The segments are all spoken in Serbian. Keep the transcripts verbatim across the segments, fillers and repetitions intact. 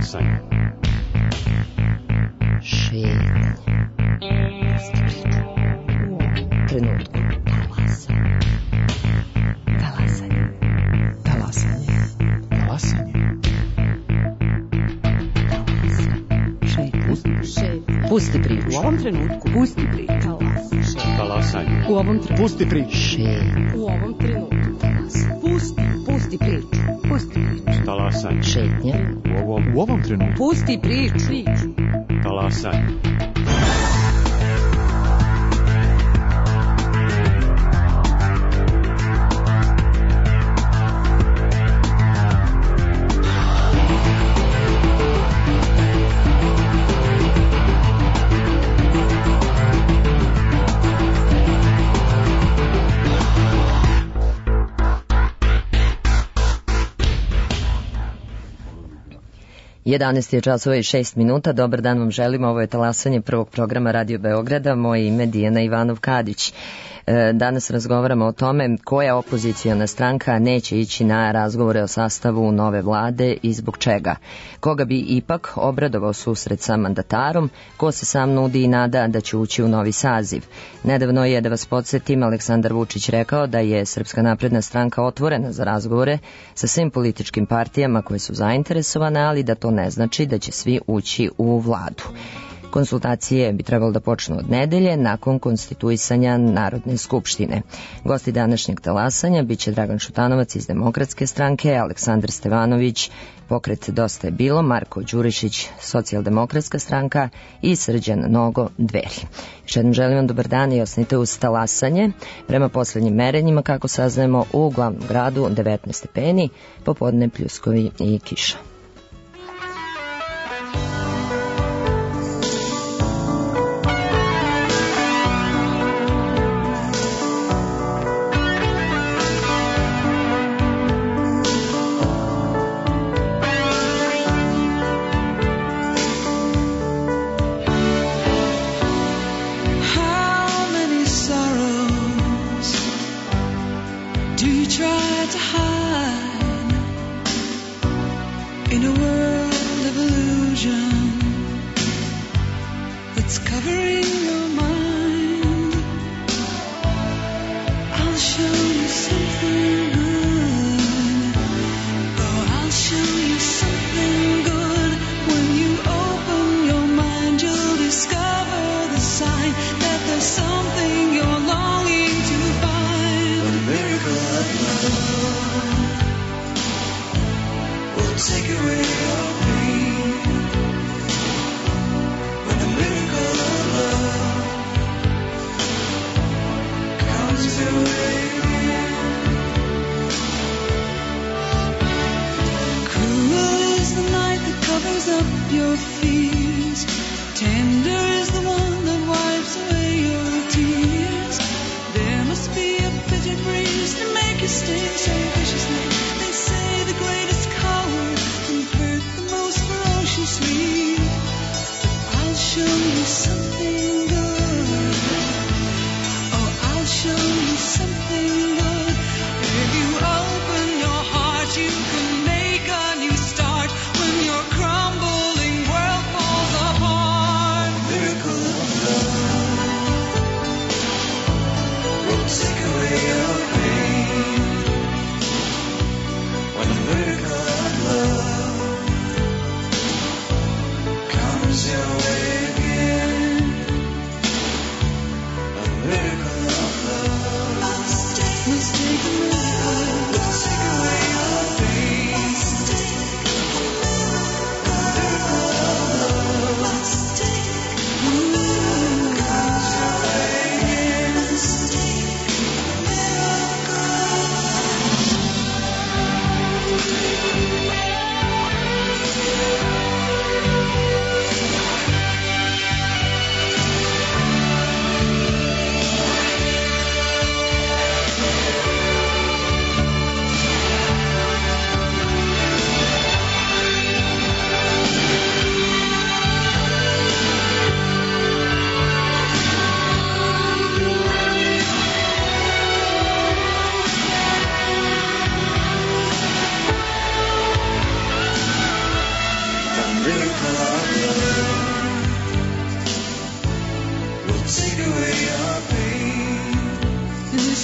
Talasanje. Šetnje. Trenutku. Talasanje. Talasanje. Talasanje. Talasanje. Šetnje. Pusti priču. U ovom trenutku. Pusti priču. Talasanje. U ovom trenutku. Pusti priču. Šetnje. U ovom trenutku. Pusti. Pusti priču. Pusti priču. Talasanje. Šetnje. U ovom, U ovom trenutku. Pusti priču. talasanje. jedanaest je časova i šest minuta. Dobar dan vam želimo. Ovo je talasanje prvog programa Radio Beograda. Moje ime Dijana Ivanov-Kadić. Danas razgovaramo o tome koja opozicijona stranka neće ići na razgovore o sastavu nove vlade i zbog čega. Koga bi ipak obradovao susret sa mandatarom, ko se sam nudi i nada da će ući u novi saziv. Nedavno je, da vas podsjetim, Aleksandar Vučić rekao da je Srpska napredna stranka otvorena za razgovore sa svim političkim partijama koje su zainteresovane, ali da to ne znači da će svi ući u vladu. Konsultacije bi trebalo da počnu od nedelje nakon konstituisanja Narodne skupštine. Gosti današnjeg talasanja biće Dragan Šutanovac iz Demokratske stranke, Aleksandar Stevanović, Pokret Dosta je bilo, Marko Đurišić, Socijaldemokratska stranka i Srđan Nogo, Dveri. Još jednom želim vam dobar dan i ostanite uz talasanje. Prema poslednjim merenjima, kako saznajemo, u glavnom gradu devetnaest stepeni, popodne pljuskovi i kiša.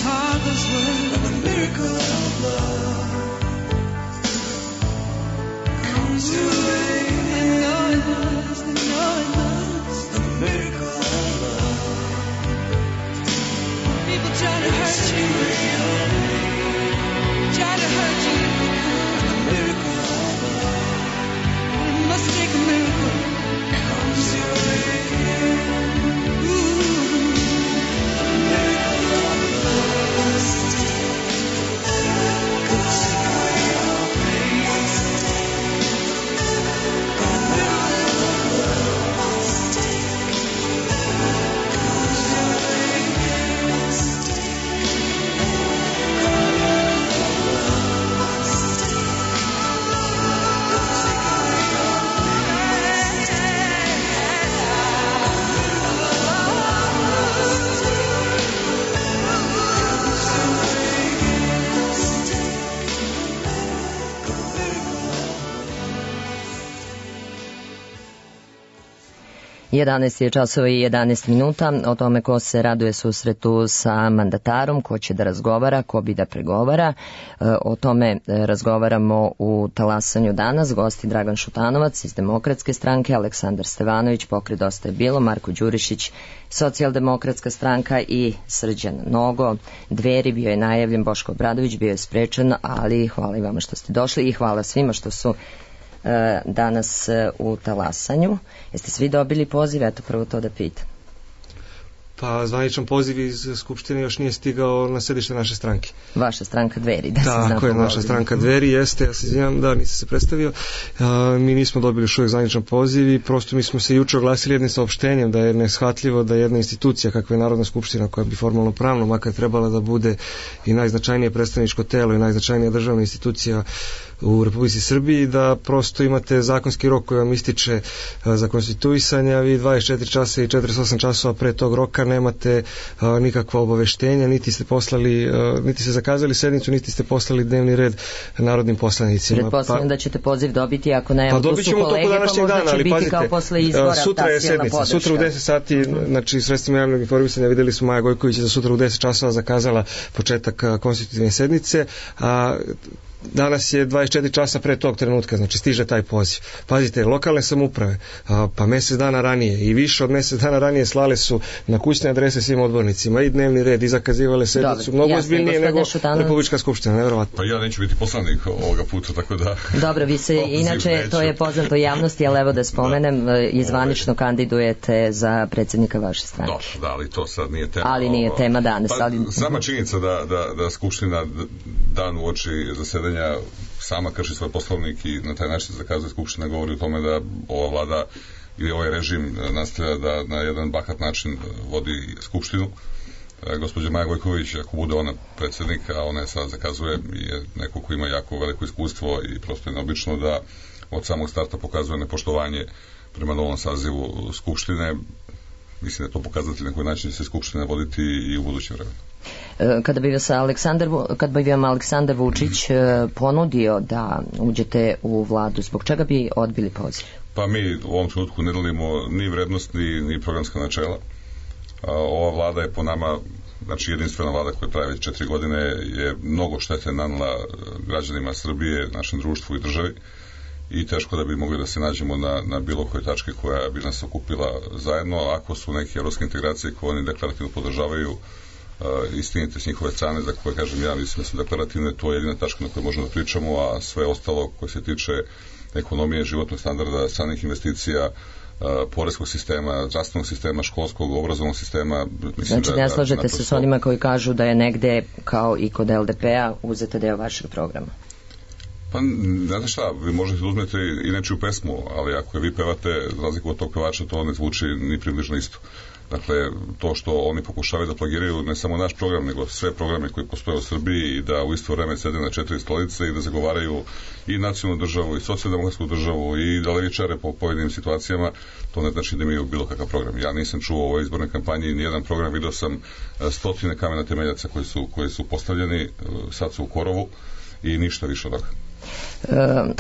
Father's word. And the miracle of love comes your way. I know it does, I know it does. The miracle of love. People try to hurt you, try to hurt you. And the miracle of love. It must take a miracle. Comes your way. jedanaest je časova i jedanaest minuta, o tome ko se raduje susretu sa mandatarom, ko će da razgovara, ko bi da pregovara. O tome razgovaramo u talasanju danas. Gosti Dragan Šutanovac iz Demokratske stranke, Aleksandar Stevanović, Pokret Dosta je bilo, Marko Đurišić, Socijaldemokratska stranka i Srđan Nogo. Dveri, bio je najavljen, Boško Obradović bio je sprečen, ali hvala i vama što ste došli i hvala svima što su danas u talasanju. Jeste svi dobili poziv? Eto, prvo to da pitam. Pa zvaničan poziv iz Skupštine još nije stigao na sedište naše stranke. Vaša stranka Dveri, da se zna. Tako je, naša stranka Dveri, jeste, ja se izvinjam, da, nisam se predstavio. A, mi nismo dobili još uvijek zvaničan poziv i prosto mi smo se juče oglasili jednim saopštenjem da je neshvatljivo da jedna institucija kakva je Narodna skupština, koja bi formalno pravno makar trebala da bude i najznačajnije predstavničko telo i najznačajnija državna institucija u Republici Srbiji, da prosto imate zakonski rok koji vam ističe za konstituisanje, a vi dvadeset četiri časa i četrdeset osam časova pre tog roka nemate a, nikakva obaveštenja, niti ste poslali, a, niti ste zakazali sednicu, niti ste poslali dnevni red narodnim poslanicima. Pretpostavljam pa, da ćete poziv dobiti, ako ne, pa dobit ćemo to kod današnjeg dana, ali pazite, kao posle izbora, sutra je sednica, sutra u deset sati, znači sredstvima javnog informisanja videli smo Maja Gojković za sutra u deset časova zakazala početak konstitutivne sednice, a danas je dvadeset četiri časa pre tog trenutka, znači stiže taj poziv. Pazite, lokalne samouprave, a, pa mjesec dana ranije i više od mjesec dana ranije slale su na kućne adrese svim odbornicima i dnevni red i zakazivale sednicu. Mnogo ozbiljnije nego Šutanović. Republička skupština, nevjerovatno. Pa ja neću biti poslanik ovoga puta, tako da... Dobro, vi se, inače, neću. To je poznato javnosti, ali evo da spomenem, da. Izvanično Ove... kandidujete za predsjednika vaše stranke. Da, da, ali to sad nije tema. Ali nije tema danas. Pa, ali... Sama činjenica da, da, da skupština dan u oči zasedanja sama krši svoj poslovnik i na taj način zakazuje skupština, govori o tome da ova vlada ili ovaj režim nastavlja da na jedan bahat način vodi skupštinu. E, gospođa Maja Gojković, ako bude ona predsjednik, a ona je sad zakazuje, je neko ko ima jako veliko iskustvo i prosto je neobično da od samog starta pokazuje nepoštovanje prema novom sazivu skupštine. Mislim da je to pokazatelj na koji način će se skupština voditi i u budućem vremenu. Kada bi vas Aleksandar, kad bi vam Aleksandar Vučić ponudio da uđete u vladu, zbog čega bi odbili poziv? Pa mi u ovom trenutku ne delimo ni vrednost, ni, ni programska načela. Ova vlada je po nama, znači jedinstvena vlada koja traje već četiri godine, je mnogo štete nanela građanima Srbije, našem društvu i državi i teško da bi mogli da se nađemo na, na bilo koje tačke koja bi nas okupila zajedno, ako su neke evropske integracije koje oni deklarativno podržavaju uh, istinite s njihove strane, za koje kažem ja mislim da su deklarativne, to je jedina tačka na kojoj možemo da pričamo, a sve ostalo koje se tiče ekonomije, životnog standarda, stranih investicija, Uh, poreskog sistema, zdravstvenog sistema, školskog, obrazovnog sistema. Mislim znači, da, ne slažete naprosto... se s onima koji kažu da je negde, kao i kod L D P-a, uzete deo vašeg programa? Pa, znate šta, vi možete da uzmete i nečiju pesmu, ali ako je vi pevate, za razliku od tog pevača, to ne zvuči ni približno isto. Dakle, to što oni pokušavaju da plagiraju ne samo naš program, nego sve programe koji postoje u Srbiji i da u isto vreme sede na četiri stolice i da zagovaraju i nacionalnu državu i socijaldemokratsku državu i da levičare po pojedinim situacijama, to ne znači da imaju bilo kakav program. Ja nisam čuo u ovoj izbornoj kampanji nijedan program, vidio sam stotine kamena temeljaca koji su, koji su postavljeni, sad su u korovu i ništa više od toga.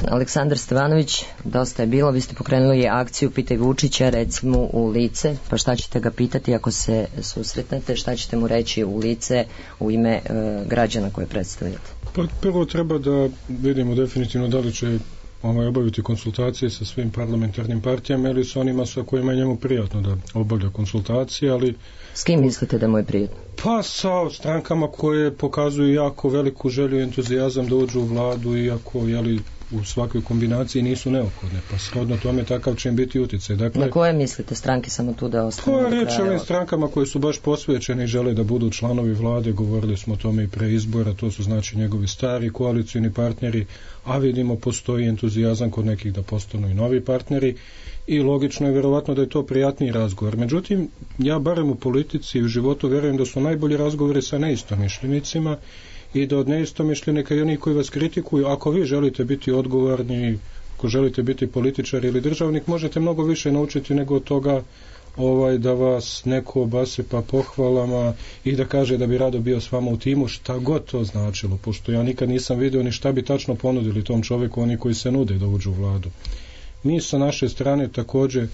Aleksandar Stevanović, dosta je bilo, vi ste pokrenuli akciju Pitaj Vučića, recimo u lice, pa šta ćete ga pitati ako se susretnete, šta ćete mu reći u lice u ime e, građana koje predstavljate? Pa prvo treba da vidimo definitivno da li će ovaj, obaviti konsultacije sa svim parlamentarnim partijama ili sa onima sa kojima je njemu prijatno da obavlja konsultacije, ali... S kim mislite da mu je prijatno? Pa sa strankama koje pokazuju jako veliku želju i entuzijazam da uđu u vladu, iako jeli, u svakoj kombinaciji nisu neophodne, pa shodno tome takav će im biti utjecaj. Dakle, na koje mislite stranke samo tu da ostane? Pa reći ovim strankama koje su baš posvećene i žele da budu članovi vlade, govorili smo o tome i pre izbora, to su znači njegovi stari koalicijni partneri, a vidimo postoji entuzijazam kod nekih da postanu i novi partneri i logično je vjerovatno da je to prijatniji razgovor. Međutim, ja barem u politici i u životu vjerujem da su najbolji razgovori sa neistomišljenicima i da od neistomišljenika i onih koji vas kritikuju, ako vi želite biti odgovorni, ako želite biti političar ili državnik, možete mnogo više naučiti nego od toga ovaj, da vas neko obasipa pohvalama i da kaže da bi rado bio s vama u timu, šta god to značilo, pošto ja nikad nisam vidio ni šta bi tačno ponudili tom čovjeku oni koji se nude da uđu u vladu. Mi sa naše strane također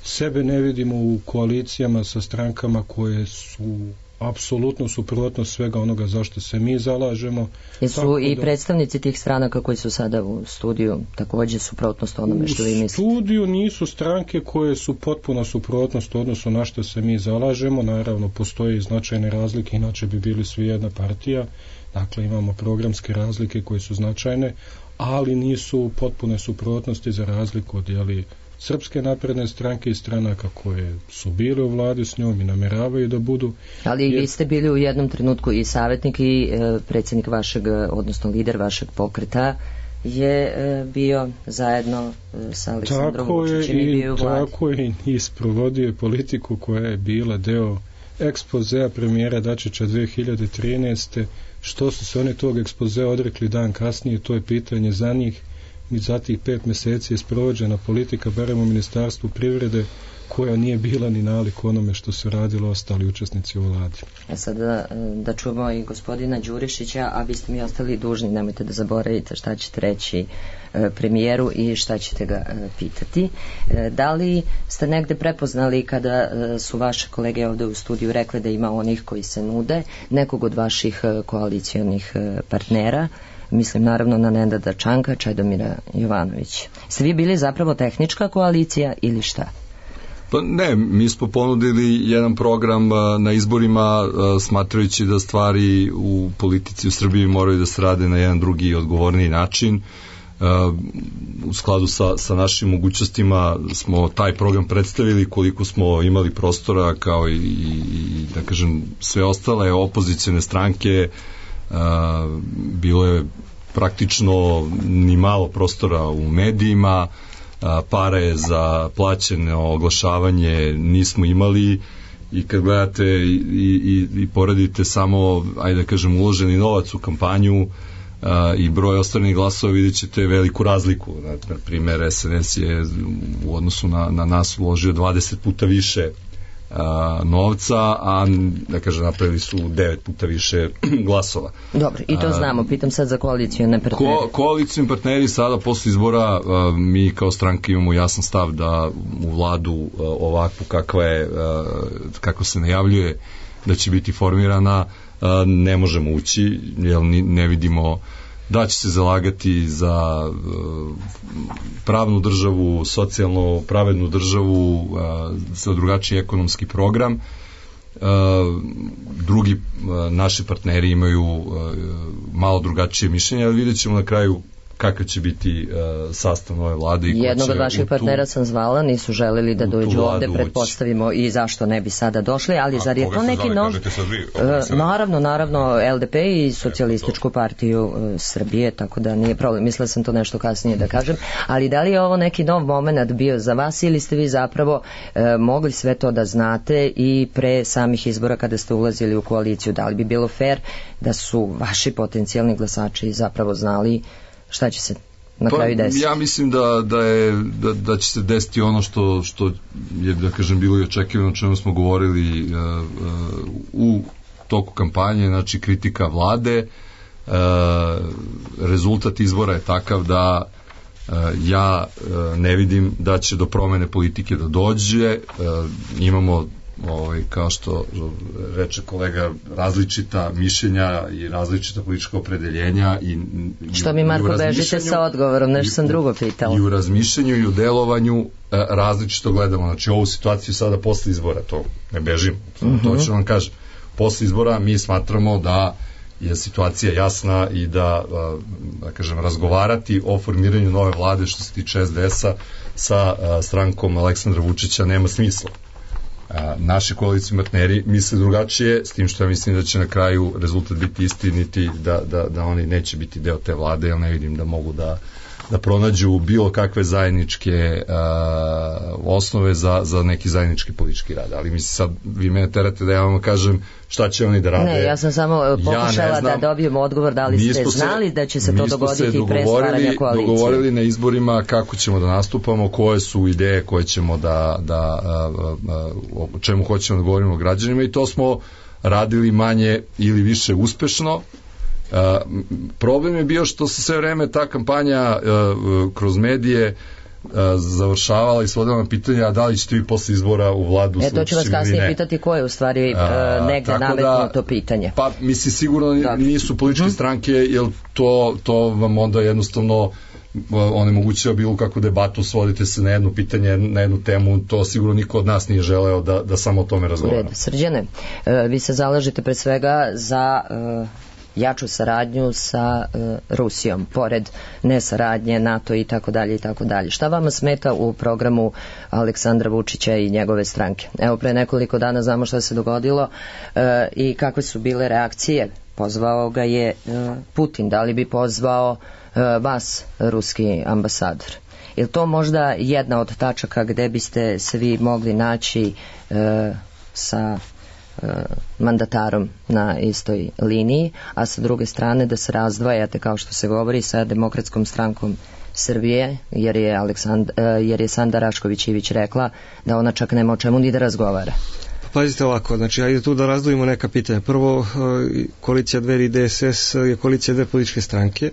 sebe ne vidimo u koalicijama sa strankama koje su apsolutno suprotno svega onoga zašto se mi zalažemo. Jesu i da, predstavnici tih stranaka koji su sada u studiju također suprotnost onome što vi mislite? U studiju nisu stranke koje su potpuno suprotnost odnosno na što se mi zalažemo. Naravno, postoje značajne razlike, inače bi bili svi jedna partija. Dakle, imamo programske razlike koje su značajne, ali nisu potpune suprotnosti za razliku od jeli, Srpske napredne stranke i stranaka koje su bile u vladi s njom i nameravaju da budu. Ali jer... vi ste bili u jednom trenutku i savjetnik i e, predsjednik vašeg, odnosno lider vašeg pokreta je e, bio zajedno e, sa Aleksandrom Vučićem i bio u vladi. Tako je i isprovodio politiku koja je bila deo ekspozea premijera Dačića dve hiljade trinaeste. Što su se oni tog ekspozea odrekli dan kasnije, to je pitanje za njih. I za tih pet mjeseci je sprovođena politika, barem u Ministarstvu privrede, koja nije bila ni nalik onome što su radili ostali učesnici u vladi. A sada da čujemo i gospodina Đurišića, a vi ste mi ostali dužni, nemojte da zaboravite šta ćete reći premijeru i šta ćete ga pitati. Da li ste negde prepoznali kada su vaše kolege ovdje u studiju rekli da ima onih koji se nude, nekog od vaših koalicijonih partnera? Mislim naravno na Nenada Čanka, Čedomira Jovanovića. Ste vi bili zapravo tehnička koalicija ili šta? Pa ne, mi smo ponudili jedan program na izborima smatrajući da stvari u politici u Srbiji moraju da se rade na jedan drugi i odgovorniji način. U skladu sa, sa našim mogućnostima smo taj program predstavili, koliko smo imali prostora kao i, i da kažem sve ostale opozicione stranke. Uh, bilo je praktično ni malo prostora u medijima, uh, pare za plaćeno oglašavanje nismo imali i kad gledate i, i, i poredite samo, ajde da kažem, uloženi novac u kampanju uh, i broj ostvarenih glasova, vidjet ćete veliku razliku. Na, na primjer, es en es je u odnosu na, na nas uložio dvadeset puta više A, novca, a da kažem napravili su devet puta više glasova. Dobro, i to znamo, pitam sad za koalicijone partneri. Ko, koalicijni partneri sada posle izbora a, mi kao stranka imamo jasan stav da u vladu a, ovakvu kakva je, a, kako se najavljuje da će biti formirana, a, ne možemo ući, jer ne vidimo da će se zalagati za uh, pravnu državu, socijalno pravednu državu, uh, za drugačiji ekonomski program. Uh, drugi uh, naši partneri imaju uh, malo drugačije mišljenje, ali vidjet ćemo na kraju kakav će biti uh, sastav nove vlade. I jednog od vaših partnera sam zvala, nisu želeli da dođu ovde, pretpostavimo i zašto ne bi sada došli, ali zar je to neki nov... Uh, naravno, naravno, el de pe i Socijalističku partiju uh, Srbije, tako da nije problem, mislila sam to nešto kasnije da kažem, ali da li je ovo neki nov moment bio za vas ili ste vi zapravo uh, mogli sve to da znate i pre samih izbora kada ste ulazili u koaliciju, da li bi bilo fair da su vaši potencijalni glasači zapravo znali šta će se na pa, kraju desiti? Ja mislim da, da, je, da, da će se desiti ono što, što je, da kažem, bilo i očekivano, o čemu smo govorili uh, uh, u toku kampanje, znači kritika vlade, rezultat izbora je takav da ja ne vidim da će do promene politike da dođe. Imamo, ovaj, kao što reče kolega, različita mišljenja i različita politička opredeljenja. I, što mi, Marko, bežite sa odgovorom, nešto sam drugo pitala. I u razmišljanju i u delovanju različito gledamo. Znači, ovu situaciju sada posle izbora, to ne bežim, mm-hmm. to ću vam kažem. Posle izbora mi smatramo da je situacija jasna i da, da kažem, razgovarati o formiranju nove vlade što se tiče es de es-a sa strankom Aleksandra Vučića nema smisla. Naši koalicijni partneri misle drugačije, s tim što ja mislim da će na kraju rezultat biti istiniti, da, da, da oni neće biti deo te vlade, jer ne vidim da mogu da da pronađu bilo kakve zajedničke uh, osnove za, za neki zajednički politički rad. Ali mislim, sad vi mene terate da ja vam kažem šta će oni da rade. Ne, ja sam samo pokušala ja da dobijem odgovor da li ste znali da će se to dogoditi i pre stvaranja koalicije. Mi smo se dogovorili na izborima kako ćemo da nastupamo, koje su ideje koje ćemo da, da uh, uh, o čemu hoćemo da govorimo građanima, i to smo radili manje ili više uspešno. Uh, problem je bio što se sve vreme ta kampanja uh, kroz medije uh, završavala i svodila na pitanja da li ćete vi posle izbora u vladu. E, to ću vas kasnije pitati ko je u stvari uh, negde nametnuo da, to pitanje. Pa mislim sigurno nisu političke hmm. stranke, jer to, to vam onda jednostavno onemogućava bilo kakvu debatu, svodite se na jedno pitanje, na jednu temu, to sigurno niko od nas nije želeo da, da samo o tome razgovara. Srđane, uh, vi se zalažete pre svega za uh, jaču saradnju sa uh, Rusijom, pored nesaradnje, NATO i tako dalje i tako dalje. Šta vama smeta u programu Aleksandra Vučića i njegove stranke? Evo, pre nekoliko dana znamo šta se dogodilo uh, i kakve su bile reakcije. Pozvao ga je uh, Putin. Da li bi pozvao uh, vas, ruski ambasador? Je li to možda jedna od tačaka gde biste se vi mogli naći uh, sa mandatarom na istoj liniji, a sa druge strane da se razdvajate, kao što se govori, sa Demokratskom strankom Srbije, jer je, Aleksand, jer je Sanda Rašković-Ivić rekla da ona čak nema o čemu ni da razgovara. Pazite ovako, znači ajde tu da razdvojimo neka pitanja. Prvo, koalicija Dveri i de es es je koalicija dve političke stranke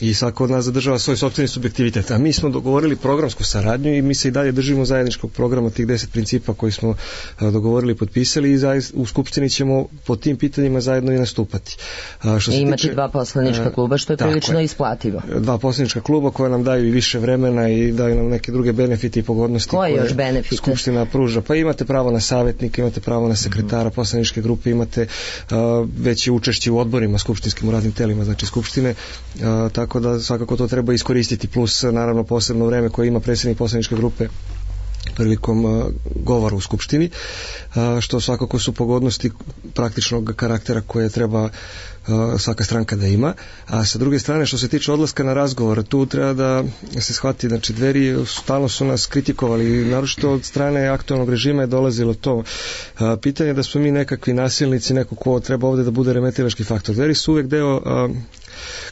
i svako od nas zadržava svoj sopstveni subjektivitet, a mi smo dogovorili programsku saradnju i mi se i dalje držimo zajedničkog programa, tih deset principa koji smo dogovorili i potpisali, i u Skupštini ćemo po tim pitanjima zajedno i nastupati. A što se I imati tiče, dva poslanička kluba, što je prilično isplativo. Dva poslanička kluba koja nam daju i više vremena i daju nam neke druge benefite i pogodnosti koje, koje još benefite? Skupština pruža. Pa imate pravo na savjetnika, imate pravo na sekretara poslaničke grupe, imate uh, veće učešće u odborima skupštinskim, u radnim telima, znači Skupštine, uh, tako da svakako to treba iskoristiti, plus naravno posebno vreme koje ima predsjednik poslaničke grupe prilikom uh, govora u Skupštini, uh, što svakako su pogodnosti praktičnog karaktera koje treba uh, svaka stranka da ima. A sa druge strane, što se tiče odlaska na razgovor, tu treba da se shvati, znači Dveri stalno su nas kritikovali, naročito od strane aktualnog režima je dolazilo to uh, pitanje da smo mi nekakvi nasilnici, neko ko treba ovde da bude remetilački faktor. Dveri su uvek deo uh,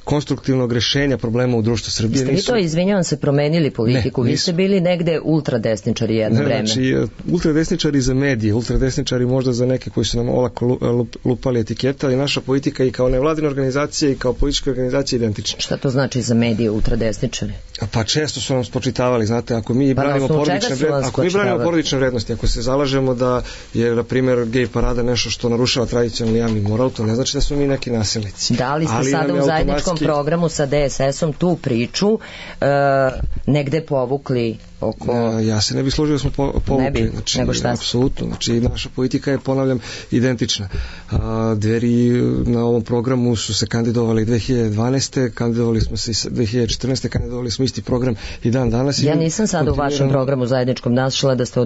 konstruktivnog rešenja problema u društvu Srbije. Ste vi to, izvinjavam se, promenili politiku? Ne, vi ste bili negde ultradesničari jedno ne, vreme. Znači, ultradesničari za medije, ultradesničari možda za neke koji su nam olako lupali etikete, ali naša politika i kao nevladina organizacija i kao politička organizacija identična. Šta to znači za medije ultradesničari? Pa često su nam spočitavali, znate, ako mi pa branimo porodične vrednosti, ako mi branimo porodične vrednosti, ako se zalažemo da je, na primjer, gej parada nešto što narušava tradicionalni javni moral, to ne znači da smo mi neki nasilnici. Da li ste ali sada u zajedničkom programu sa de es esom tu priču uh, negde povukli oko... Ne, ja se ne bih složio da smo po, povukli. Ne bi, znači, nego šta? Apsolutno. Znači, naša politika je, ponavljam, identična. A, Dveri na ovom programu su se kandidovali dve hiljade dvanaeste. Kandidovali smo se i dve hiljade četrnaeste. Kandidovali smo isti program i dan danas. Ja nisam sad u vašem programu zajedničkom našla da, ste,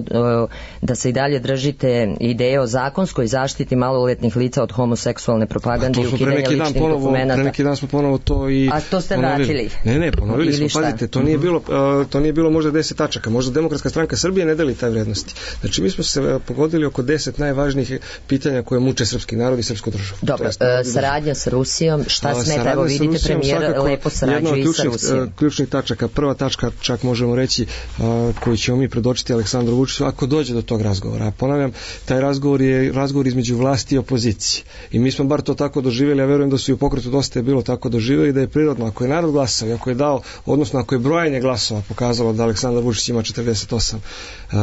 da se i dalje držite ideje o zakonskoj zaštiti maloletnih lica od homoseksualne propagande i ukidanja ličnih dokumenata. Pre neki dan smo ponovo to i... A to ste ponovili. vratili? Ne, ne, ponovili smo. Pazite, to nije bilo, uh, to nije bilo možda deset tačaka tačaka. Možda Demokratska stranka Srbije ne deli taj vrednosti. Znači mi smo se pogodili oko deset najvažnijih pitanja koje muče srpski narod i srpsku državu. Dobro, e, saradnja sa Rusijom, šta A, smeta, evo vidite premijer lepo sarađuje i sa Rusijom. Jedna od ključnih tačaka, prva tačka, čak možemo reći, a, koju ćemo mi predočiti Aleksandru Vučiću, ako dođe do tog razgovora. A ponavljam, taj razgovor je razgovor između vlasti i opozicije. I mi smo bar to tako doživjeli, ja verujem da su i u Pokretu Dosta je bilo tako doživjeli, da je prirodno, ako je narod glasao i ako je dao, odnosno ako je brojanje glasova pokazalo da Aleksandar Vučić ima četrdeset osam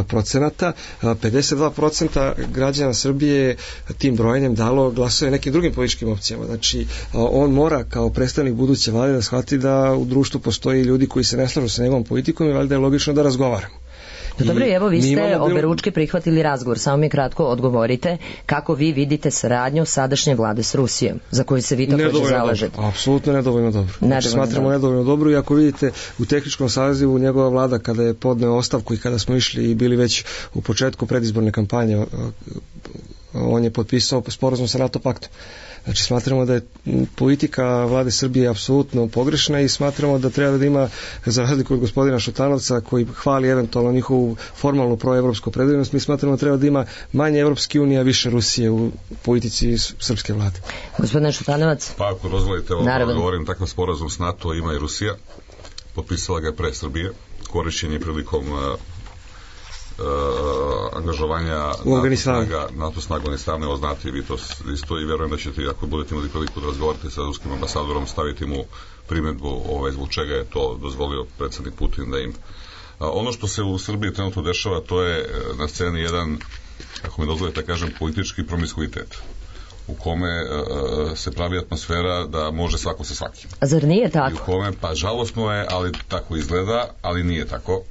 procenata, pedeset dva procenta građana Srbije tim brojanjem dalo glasove nekim drugim političkim opcijama. Znači, on mora kao predstavnik buduće vlade da shvati da u društvu postoji ljudi koji se ne slažu sa njegovom politikom i valjda je logično da razgovaramo. Dobro, evo vi ste bilo... oberučke prihvatili razgovor, samo mi kratko odgovorite kako vi vidite saradnju sadašnje vlade s Rusijom, za koju se vi također zalažete. Dobro, apsolutno nedovoljno dobro. Znači, smatramo dobro. nedovoljno dobro i ako vidite u tehničkom sazivu njegova vlada kada je podneo ostavku i kada smo išli i bili već u početku predizborne kampanje, on je potpisao sporazum sa NATO paktom. Znači smatramo da je politika vlade Srbije apsolutno pogrešna i smatramo da treba da ima, za razliku od gospodina Šutanovca koji hvali eventualno njihovu formalnu proevropsku opredeljenost, mi smatramo da treba da ima manje Evropske unije, a više Rusije u politici srpske vlade. Gospodine Šutanovac? Pa ako dozvolite, ovo govorim, takav sporazum s NATO ima i Rusija. Potpisala ga je pre Srbije, korišćen je prilikom Uh, angažovanja NATO snaga, NATO snaga u Afganistanu, evo znate vi to isto i verujem da ćete, ako budete imali priliku da razgovarate sa ruskim ambasadorom, staviti mu primedbu ovaj, zbog čega je to dozvolio predsjednik Putin da im. Uh, ono što se u Srbiji trenutno dešava, to je na sceni jedan, ako mi dozvolite da kažem, politički promiskuitet u kome uh, se pravi atmosfera da može svako sa svakim. A zar nije tako? I u kome, pa žalosno je, ali tako izgleda, ali nije tako.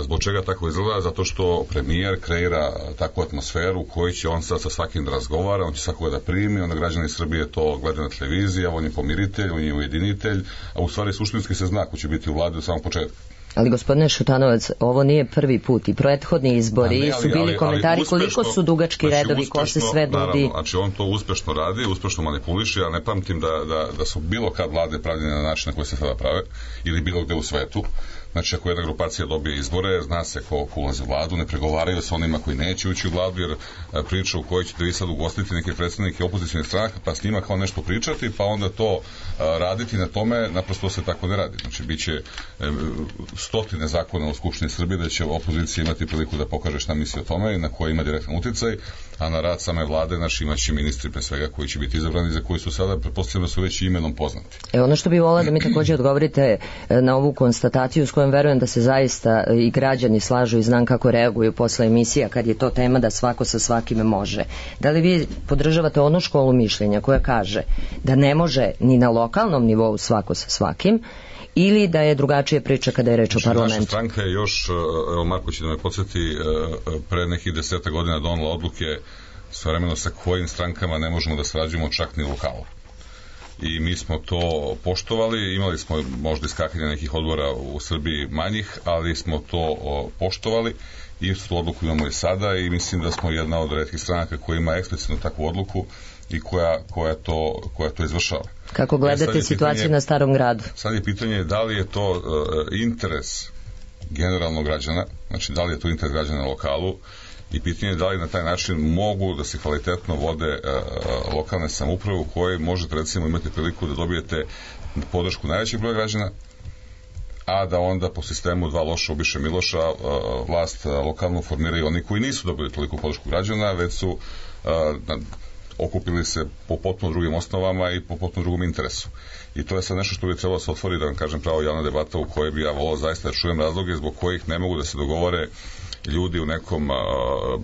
Zbog čega tako izgleda? Zato što premijer kreira takvu atmosferu u kojoj će on sad sa svakim da razgovara, on će svakoga da primi, onda građani Srbije to gledaju na televiziji, a on je pomiritelj, on je ujedinitelj, a u stvari suštinski se zna ko će biti u vladi od samog početka. Ali gospodine Šutanovac, ovo nije prvi put i prethodni izbori ne, ali, su bili ali, komentari ali uspešno, koliko su dugački znači redovi, uspešno, ko se sve nudi. Naravno, znači on to uspešno radi, uspešno manipuliše, ja ne pamtim da, da, da su bilo kad vlade pravljene na način na koji se sada prave, ili bilo gde u svetu. Znači, ako jedna grupacija dobije izbore, zna se ko, ko ulazi u vladu, ne pregovaraju sa onima koji neće ući u vladu, jer priča u kojoj ćete vi sad ugostiti neke predstavnike opozicijnih stranaka, pa s njima kao nešto pričati, pa onda to a, raditi na tome, naprosto se tako ne radi. Znači, bit će e, stotine zakona u Skupštini Srbije da će opozicija imati priliku da pokaže šta misli o tome i na koje ima direktan uticaj, a na rad same vlade, znači, imaće ministri pre svega koji će biti izabrani, za koji su sada, pretpostavljeno, su već imenom poznati. E, ono što bi volila da mi također odgovorite na ovu konstataciju s kojom verujem da se zaista i građani slažu i znam kako reaguju posle emisija kad je to tema da svako sa svakime može. Da li vi podržavate onu školu mišljenja koja kaže da ne može ni na lokalnom nivou svako sa svakim, ili da je drugačije priča kada je reč o parlamentu? Naša stranka je još, evo Marko će da me podsjeti, pre nekih deseta godina donela odluke svojevremeno sa kojim strankama ne možemo da sarađujemo čak ni lokalno. I mi smo to poštovali, imali smo možda iskakanje nekih odbora u Srbiji manjih, ali smo to o, poštovali i tu odluku imamo i sada i mislim da smo jedna od retkih stranaka koja ima eksplicitno takvu odluku i koja, koja, to, koja to izvršava. Kako gledate situaciju pitanje, na Starom gradu? Sad je pitanje da li je to uh, interes generalnog građana, znači da li je to interes građana na lokalu, i pitanje je da li na taj način mogu da se kvalitetno vode uh, lokalne samouprave u kojoj možete recimo imati priliku da dobijete podršku najvećeg broja građana, a da onda po sistemu dva loša obiše Miloša uh, vlast uh, lokalno formiraju oni koji nisu dobili toliko podršku građana, već su uh, na, okupili se po potpuno drugim osnovama i po potpuno drugom interesu. I to je sad nešto što bi trebalo se otvori, da vam kažem, pravo javna debata u kojoj bi ja volao zaista da čujem razloge zbog kojih ne mogu da se dogovore ljudi u nekom uh,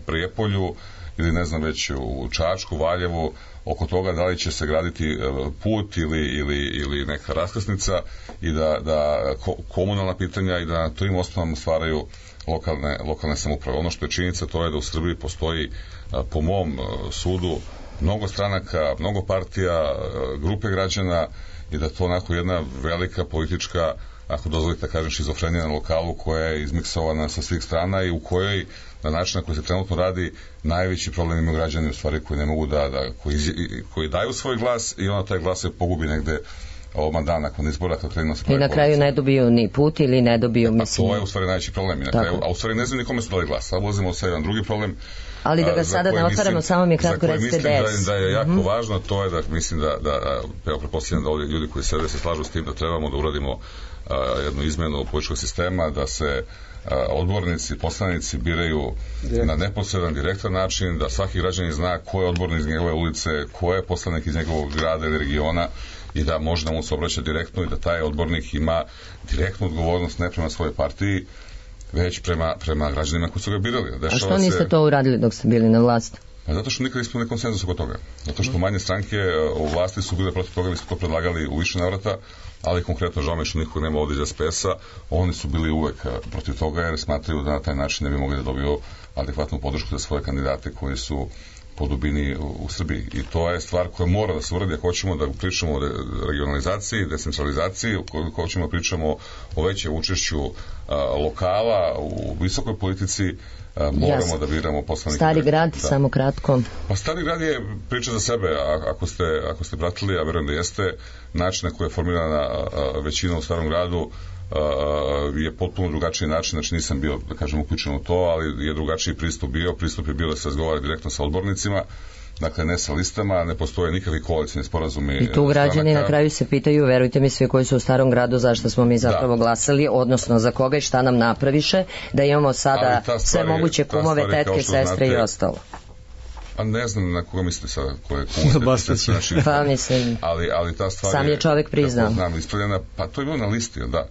Prijepolju ili ne znam već u Čačku, Valjevu, oko toga da li će se graditi uh, put ili, ili, ili neka raskrsnica i da, da ko, komunalna pitanja i da na tim osnovama stvaraju lokalne, lokalne samouprave. Ono što je činjenica to je da u Srbiji postoji uh, po mom uh, sudu mnogo stranaka, mnogo partija, uh, grupe građana i da to onako jedna velika politička, ako dozvolite da kažem, šizofrenija na lokalu koja je izmiksovana sa svih strana i u kojoj na način na koji se trenutno radi najveći problem imaju građani u stvari koji ne mogu da, da koji, koji daju svoj glas i onda taj glas se pogubi negde ovoma dan nakon izbora kad krenemo sa I na kraju ne dobiju ni put ili ne dobiju, mislim... A to je u stvari najveći problem. I na kraju, a u stvari ne znam nikome su dali glas. Sad ulazimo sa jedan drugi problem. Ali da ga sada ne otvaramo, samo mi kratko recite D E S. Da, da je jako mm-hmm. važno, to je da mislim da, da evo, pretpostavljam da ovdje ljudi koji sede se slažu s tim da trebamo da uradimo a, jednu izmenu političkog sistema, da se a, odbornici, poslanici biraju Direkt. na neposredan, direktan način, da svaki građanin zna ko je odbornik iz njegove ulice, ko je poslanik iz njegovog grada ili regiona i da može da mu se obraća direktno i da taj odbornik ima direktnu odgovornost ne prema svojoj partiji, već prema, prema građanima koji su ga birali. Dešava A što niste se... to uradili dok ste bili na vlasti? Pa zato što nikad nismo imali konsenzus oko toga. Zato što manje stranke u vlasti su bile protiv toga, mi smo to predlagali u više navrata, ali konkretno žao mi što nikog nema ovdje iz S P S-a, oni su bili uvek protiv toga jer smatraju da na taj način ne bi mogli da dobiju adekvatnu podršku za svoje kandidate koji su po dubini u, u Srbiji. I to je stvar koja mora da se uradi ako hoćemo da pričamo o regionalizaciji, decentralizaciji, ako hoćemo da pričamo o većem učešću a, lokala u visokoj politici, a, moramo Jasne. da biramo poslanike. Stari grad, da. samo kratko. Pa Stari grad je priča za sebe, a, ako ste, ako ste pratili, a verujem da jeste, način na koji je formirana a, a, većina u Starom gradu Uh, je potpuno drugačiji način, znači nisam bio, da kažem, uključen u to, ali je drugačiji pristup bio, pristup je bio da se razgovara direktno sa odbornicima, dakle ne sa listama, ne postoje nikakvi koalicijni sporazumi. I tu građani na kraju se pitaju, verujte mi svi koji su u Starom gradu, zašto smo mi zapravo da. glasali, odnosno za koga i šta nam napraviše, da imamo sada sve moguće kumove, tetke, sestre znate, i ostalo. A ne znam na koga mislite sada, ko je kumove, tetke, znači, pa mislim, ali, ali ta stvar sam je čovjek priznao. Znam, ispravljena, pa to je bilo na listi, da.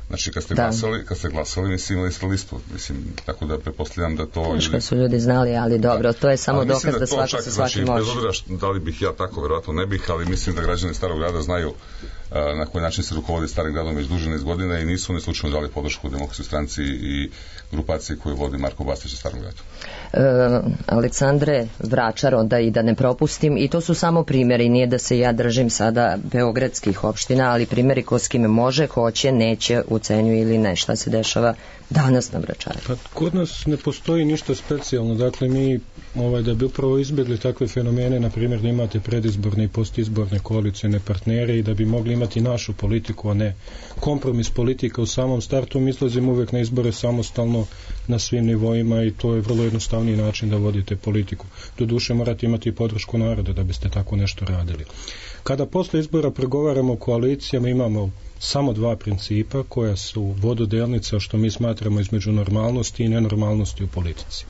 Znači, kad ste da. glasali, kad ste glasali, mislim, imali ste listu, mislim, tako da pretpostavljam da to... Teško su ljudi znali, ali dobro, to je samo ali dokaz da, da svako sa svakim može. Bez obzira da li bih ja tako, verovatno ne bih, ali mislim da građani Starog grada znaju uh, na koji način se rukovodi Starim gradom već duže niz godina i nisu oni slučajno dali podršku Demokratskoj stranci i grupaciji koju vodi Marko Bastać u Starom gradu. Uh, Aleksandre Vračar, onda i da ne propustim, i to su samo primjeri, nije da se ja držim sada beogradskih opština, ali primjeri ko s kime može, hoće, neće, ucenjuje ili ne, šta se dešava danas na Vračaru. Pa kod nas ne postoji ništa specijalno, dakle mi ovaj, da bi upravo izbjegli takve fenomene, na primjer da imate predizborne i postizborne koalicijne partnere i da bi mogli imati našu politiku, a ne kompromis politika u samom startu, mi izlazimo uvek na izbore samostalno na svim nivoima i to je vrlo jednostavniji način da vodite politiku. Doduše morate imati podršku naroda da biste tako nešto radili. Kada posle izbora pregovaramo o koalicijama imamo samo dva principa koja su vododelnica što mi smatramo između normalnosti i nenormalnosti u politici.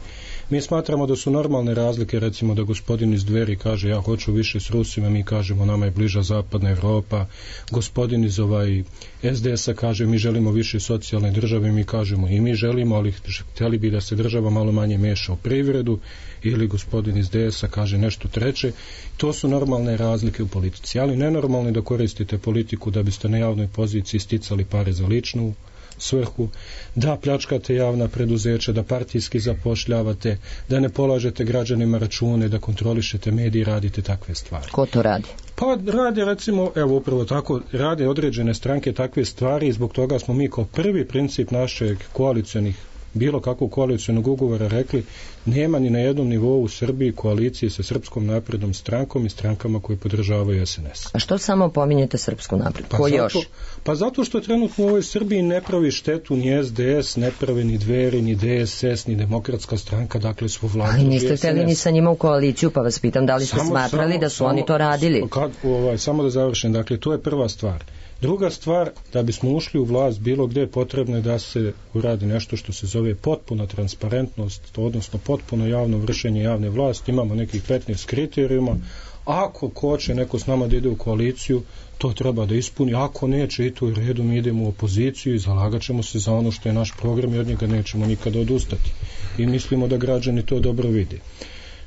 Mi smatramo da su normalne razlike, recimo da gospodin iz Dveri kaže ja hoću više s Rusima, mi kažemo nama je bliža zapadna Evropa, gospodin iz ovaj S D S-a kaže mi želimo više socijalne države, mi kažemo i mi želimo, ali htjeli bi da se država malo manje meša u privredu, ili gospodin iz D S-a kaže nešto treće. To su normalne razlike u politici, ali nenormalno je da koristite politiku da biste na javnoj poziciji sticali pare za ličnu svrhu, da pljačkate javna preduzeća, da partijski zapošljavate, da ne polažete građanima račune, da kontrolišete medije, radite takve stvari. Ko to radi? Pa rade recimo, evo upravo tako, rade određene stranke takve stvari i zbog toga smo mi kao prvi princip našeg koalicionih bilo kakvog koalicionog ugovora rekli nema ni na jednom nivou u Srbiji koalicije sa Srpskom naprednom strankom i strankama koje podržavaju S N S. A što samo pominjete Srpsku naprednu? Pa Ko zato, još? Pa zato što trenutno u ovoj Srbiji ne pravi štetu ni S D S, ne pravi ni Dveri, ni D S S, ni Demokratska stranka, dakle su vladu. Ali niste htjeli ni sa njima u koaliciju, pa vas pitam da li ste samo, smatrali samo, da su samo, oni to radili? Kad, ovaj, samo da završim, dakle to je prva stvar. Druga stvar, da bismo ušli u vlast bilo gdje potrebno je da se uradi nešto što se zove potpuna transparentnost, odnosno potpuno javno vršenje javne vlasti. Imamo nekih petnaest kriterijuma. Ako hoće neko s nama da ide u koaliciju, to treba da ispuni. Ako neće i to u redu, mi idemo u opoziciju i zalagat ćemo se za ono što je naš program i od njega nećemo nikada odustati. I mislimo da građani to dobro vide.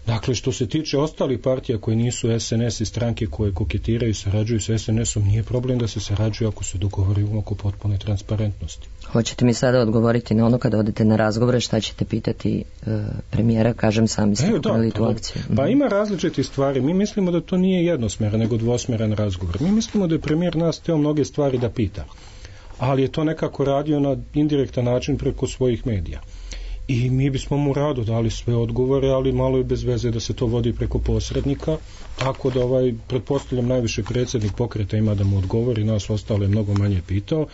Dakle, što se tiče ostalih partija koji nisu S N S i stranke koje koketiraju i sarađuju s S N S-om, nije problem da se sarađuju ako se dogovorimo oko potpune transparentnosti. Hoćete mi sada odgovoriti na ono kada odete na razgovore, šta ćete pitati e, premijera, kažem sami ste pokrenuli tu akciju. Pa ima različitih stvari. Mi mislimo da to nije jednosmeran, nego dvosmeran razgovor. Mi mislimo da je premijer nas teo mnoge stvari da pita, ali je to nekako radio na indirektan način preko svojih medija. i mi bismo mu rado dali sve odgovore, ali malo je bez veze da se to vodi preko posrednika, tako da ovaj, pretpostavljam najviše predsjednik pokreta ima da mu odgovori, nas ostalo je mnogo manje pitao.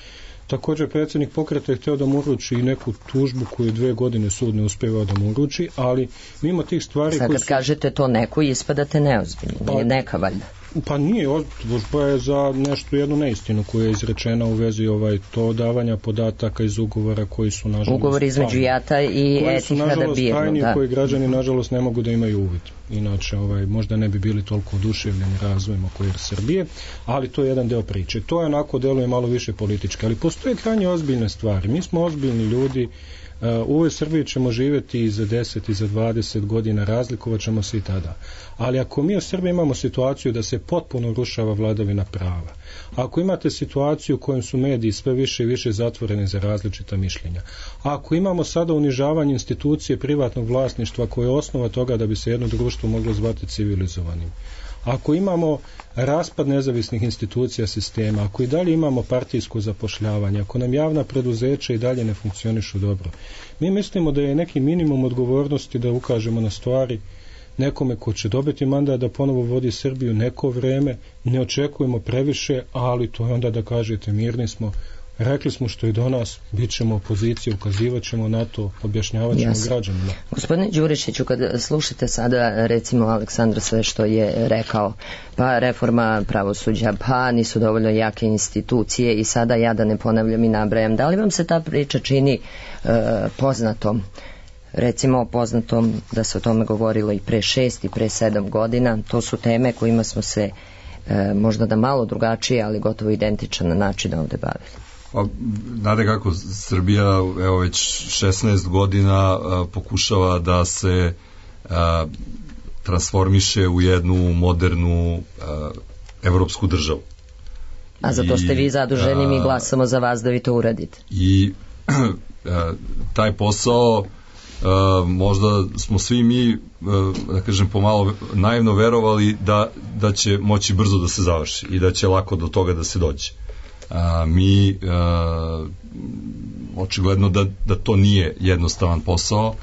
Također predsjednik pokreta je htio da mu uruči i neku tužbu koju dve godine sud ne uspevao da mu uruči, ali mimo tih stvari... Sad kad su... kažete to neku, ispadate neozbiljno, pa, nije neka valjda. Pa nije, tužba je za nešto, jednu neistinu koja je izrečena u vezi ovaj, to davanja podataka iz ugovora koji su nažalost... Ugovor između Jata i Etihada Birnu, da. Koji građani nažalost ne mogu da imaju uvid. Inače, ovaj, možda ne bi bili toliko oduševljeni razvojem oko Air Srbije, ali to je jedan deo priče. To je onako deluje malo više politički, ali postoje krajnje ozbiljne stvari. Mi smo ozbiljni ljudi, u ovoj Srbiji ćemo živjeti i za deset i za dvadeset godina, razlikovat ćemo se i tada. Ali ako mi u Srbiji imamo situaciju da se potpuno rušava vladavina prava, ako imate situaciju u kojoj su mediji sve više i više zatvoreni za različita mišljenja, ako imamo sada unižavanje institucije privatnog vlasništva koje je osnova toga da bi se jedno društvo moglo zvati civilizovanim, ako imamo raspad nezavisnih institucija sistema, ako i dalje imamo partijsko zapošljavanje, ako nam javna preduzeća i dalje ne funkcionišu dobro, mi mislimo da je neki minimum odgovornosti da ukažemo na stvari nekome ko će dobiti mandat da ponovo vodi Srbiju neko vreme, ne očekujemo previše, ali to je onda da kažete mirni smo, rekli smo što je do nas, bit ćemo opozicija, ukazivat ćemo na to, objašnjavat ćemo yes. građanima. Gospodine Đurišiću, kad slušate sada recimo Aleksandra sve što je rekao, pa reforma pravosuđa, pa nisu dovoljno jake institucije i sada ja da ne ponavljam i nabrajam, da li vam se ta priča čini e, poznatom? Recimo poznatom da se o tome govorilo i pre šest i pre sedam godina, to su teme kojima smo se e, možda da malo drugačije, ali gotovo identičan način ovde bavili. Pa, znate kako, Srbija evo već šesnaest godina a, pokušava da se a, transformiše u jednu modernu a, evropsku državu. A za to ste vi zaduženi, mi glasamo za vas da vi to uradite. I a, taj posao a, možda smo svi mi, a, da kažem, pomalo naivno verovali da, da će moći brzo da se završi i da će lako do toga da se dođe. A, mi a, očigledno da, da to nije jednostavan posao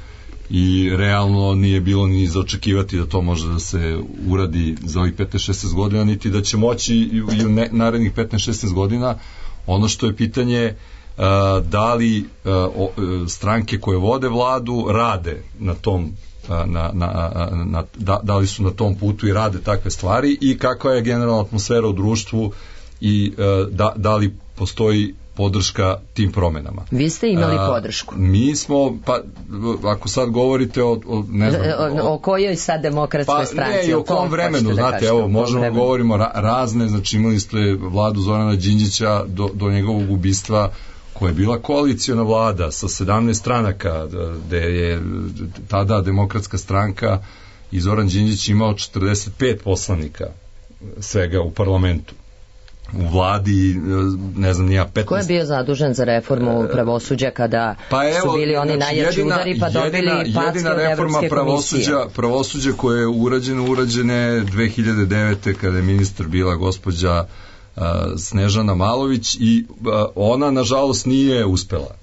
i realno nije bilo ni za očekivati da to može da se uradi za ovih petnaest šesnaest godina, niti da će moći i u ne, narednih petnaest šesnaest godina. Ono što je pitanje a, da li a, o, stranke koje vode vladu rade na tom a, na, na, na, da, da li su na tom putu i rade takve stvari i kakva je generalna atmosfera u društvu i uh, da, da li postoji podrška tim promenama. Vi ste imali uh, podršku. Mi smo, pa ako sad govorite o, o ne znam... O, o kojoj sad demokratskoj pa, stranci? Ne, i o kom vremenu, da znate, kažete, evo, možemo vremenu. Govorimo ra, razne, znači imali ste vladu Zorana Đinđića do, do njegovog ubistva, koja je bila koaliciona vlada sa sedamnaest stranaka, gde je tada demokratska stranka i Zoran Đinđić imao četrdeset pet poslanika svega u parlamentu. U vladi, ne znam, nija petnaest... Ko je bio zadužen za reformu pravosuđa kada pa evo, su bili oni znači, najjači jedina, udari pa dobili packe od Evropske komisije? Pravosuđa koje je urađeno, urađene dve hiljade devete kada je ministar bila gospođa uh, Snežana Malović i uh, ona nažalost nije uspela.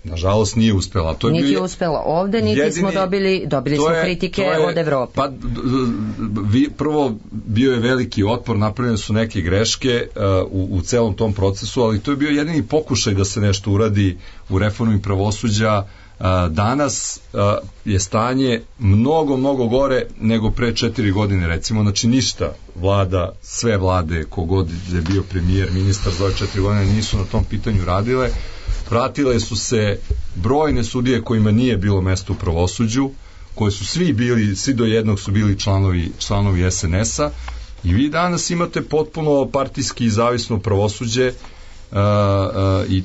Nažalost nije uspela. To je niti bio je uspela ovde, niti jedini, smo dobili, dobili smo je, kritike je, od Evrope. Pa, vi, prvo, bio je veliki otpor, napravljene su neke greške uh, u, u celom tom procesu, ali to je bio jedini pokušaj da se nešto uradi u reformi pravosuđa. Uh, danas uh, je stanje mnogo, mnogo gore nego pre četiri godine, recimo, znači ništa vlada, sve vlade, kogod je bio premijer, ministar za ove četiri godine nisu na tom pitanju radile. Pratile su se brojne sudije kojima nije bilo mesto u pravosuđu, koji su svi bili, svi do jednog su bili članovi, članovi es en es-a i vi danas imate potpuno partijski i zavisno pravosuđe uh, uh, i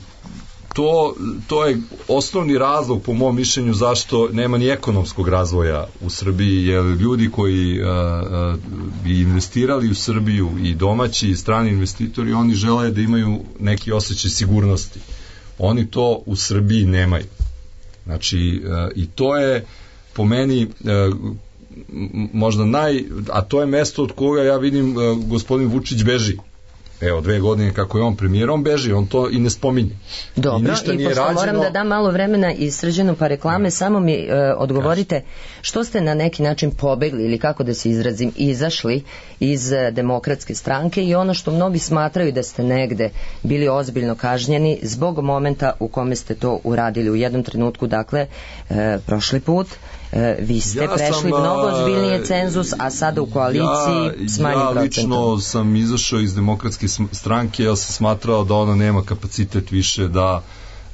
to, to je osnovni razlog po mom mišljenju zašto nema ni ekonomskog razvoja u Srbiji, jer ljudi koji uh, uh, bi investirali u Srbiju i domaći i strani investitori, oni žele da imaju neki osjećaj sigurnosti. Oni to u Srbiji nemaju. Znači, e, i to je po meni e, možda naj, a to je mesto od koga ja vidim e, gospodin Vučić beži. evo dve godine kako je on premijer, on beži, on to i ne spominje. Dobro, i, i pošto rađeno... moram da dam malo vremena i Srđanu pa reklame, samo mi e, odgovorite što ste na neki način pobegli ili kako da se izrazim, izašli iz e, demokratske stranke i ono što mnogi smatraju da ste negde bili ozbiljno kažnjeni zbog momenta u kome ste to uradili u jednom trenutku, dakle e, prošli put e, vi ste ja prešli sam, mnogo ozbiljnije cenzus, a sada u koaliciji ja, s manjim ja procentom. Ja lično sam izašao iz demokratske stranke, ja sam smatrao da ona nema kapacitet više da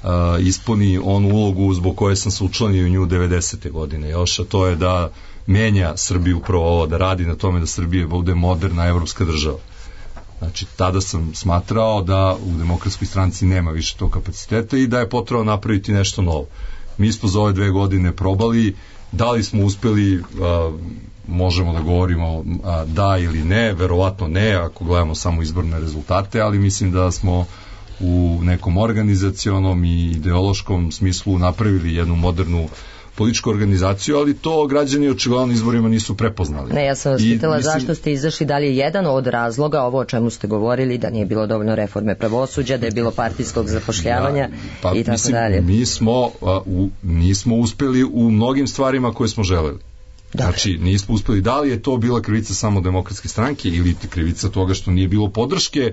uh, ispuni onu ulogu zbog koje sam se učlanio u nju devedesete godine još, a to je da menja Srbiju upravo ovo, da radi na tome da Srbija bude moderna evropska država. Znači, tada sam smatrao da u demokratskoj stranci nema više tog kapaciteta i da je potrebno napraviti nešto novo. Mi smo za ove dve godine probali, da li smo uspeli, uh, možemo da govorimo uh, da ili ne, verovatno ne, ako gledamo samo izborne rezultate, ali mislim da smo u nekom organizacionom i ideološkom smislu napravili jednu modernu političku organizaciju, ali to građani očigledno izborima nisu prepoznali. Ne, ja sam vas pitala mislim... zašto ste izašli, da li je jedan od razloga ovo o čemu ste govorili, da nije bilo dovoljno reforme pravosuđa, da je bilo partijskog zapošljavanja ja, pa, i tako mislim, dalje. Mi smo, a, u, nismo uspeli u mnogim stvarima koje smo želeli. Dakle. Znači, nismo uspeli. Da li je to bila krivica samo demokratske stranke ili krivica toga što nije bilo podrške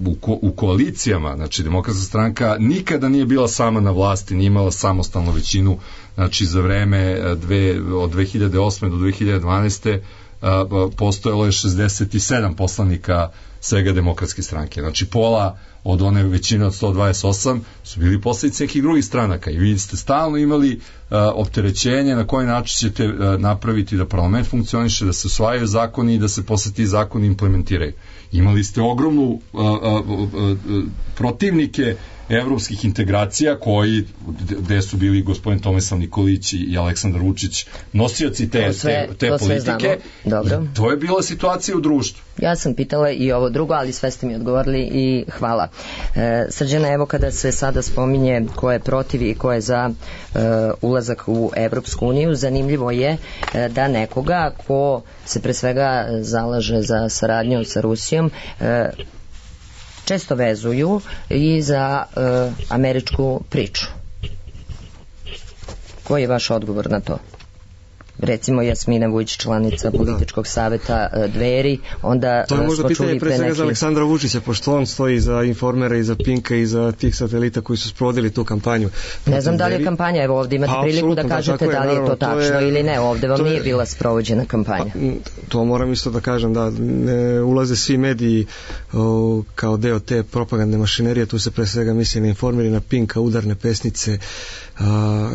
U, ko, u koalicijama, znači demokratska stranka nikada nije bila sama na vlasti, nije imala samostalnu većinu, znači za vreme dve, od dve hiljade osme do dve hiljade dvanaeste a, postojalo je šezdeset sedam poslanika svega demokratske stranke, znači pola od one većine od sto dvadeset osam su bili poslanici nekih drugih stranaka i vi ste stalno imali a, opterećenje na koji način ćete a, napraviti da parlament funkcioniše, da se usvajaju zakoni i da se posle ti zakoni implementiraju. Imali ste ogromnu a, a, a, a, protivnike evropskih integracija koji, gde su bili gospodin Tomislav Nikolić i Aleksandar Vučić nosioci te, sve, te, te politike. Dobro. To je bila situacija u društvu. Ja sam pitala i ovo drugo, ali sve ste mi odgovorili i hvala. E, Srđana, evo kada se sada spominje ko je protiv i ko je za e, ulazak u Evropsku uniju, zanimljivo je e, da nekoga ko se pre svega zalaže za saradnju sa Rusijom e, često vezuju i za e, američku priču. Koji je vaš odgovor na to? Recimo Jasmina Vujić, članica političkog saveta e, Dveri, onda to je možda pitanje pre svega neki... za Aleksandra Vučića, pošto on stoji za Informera i za Pinka i za tih satelita koji su sprovodili tu kampanju. Ne znam da li je kampanja, evo ovdje imate pa, priliku da kažete da, da li je to tačno to je, ili ne, ovdje vam nije je, bila sprovođena kampanja. Pa, to moram isto da kažem, da ne ulaze svi mediji o, kao deo te propagandne mašinerije, tu se pre svega misli na Informer i na Pinka, udarne pesnice, a,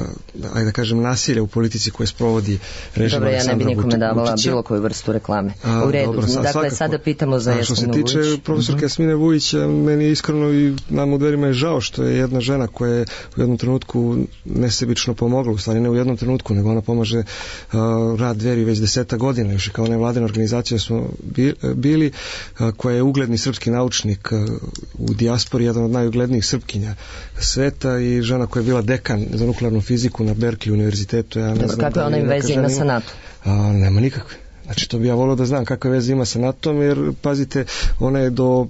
ajde da kažem nasilje u politici koje sprovodi režim Dobro, ja ne bi nikome davala Vučića. Bilo koju vrstu reklame. A, u redu, dobro, sa, dakle svakako. Sada pitamo za Jasminu Vujić. Što se tiče profesorke uh-huh. Jasmine Vujić, meni iskreno i nam u Dverima je žao što je jedna žena koja je u jednom trenutku nesebično pomogla, u stvari ne u jednom trenutku, nego ona pomaže uh, rad Dveri već deseta godina, još i kao nevladina organizacija smo bili, uh, koja je ugledni srpski naučnik uh, u dijaspori, jedan od najuglednijih srpkinja sveta i žena koja je bila dekan za nuklearnu fiziku na Berkeley univerzitetu. Ja ne Dobro, znam kakve da ona im veze ima sa NATO? A, nema nikakve. Znači, to bi ja volio da znam kakve veze ima sa NATO-om, jer, pazite, ona je do,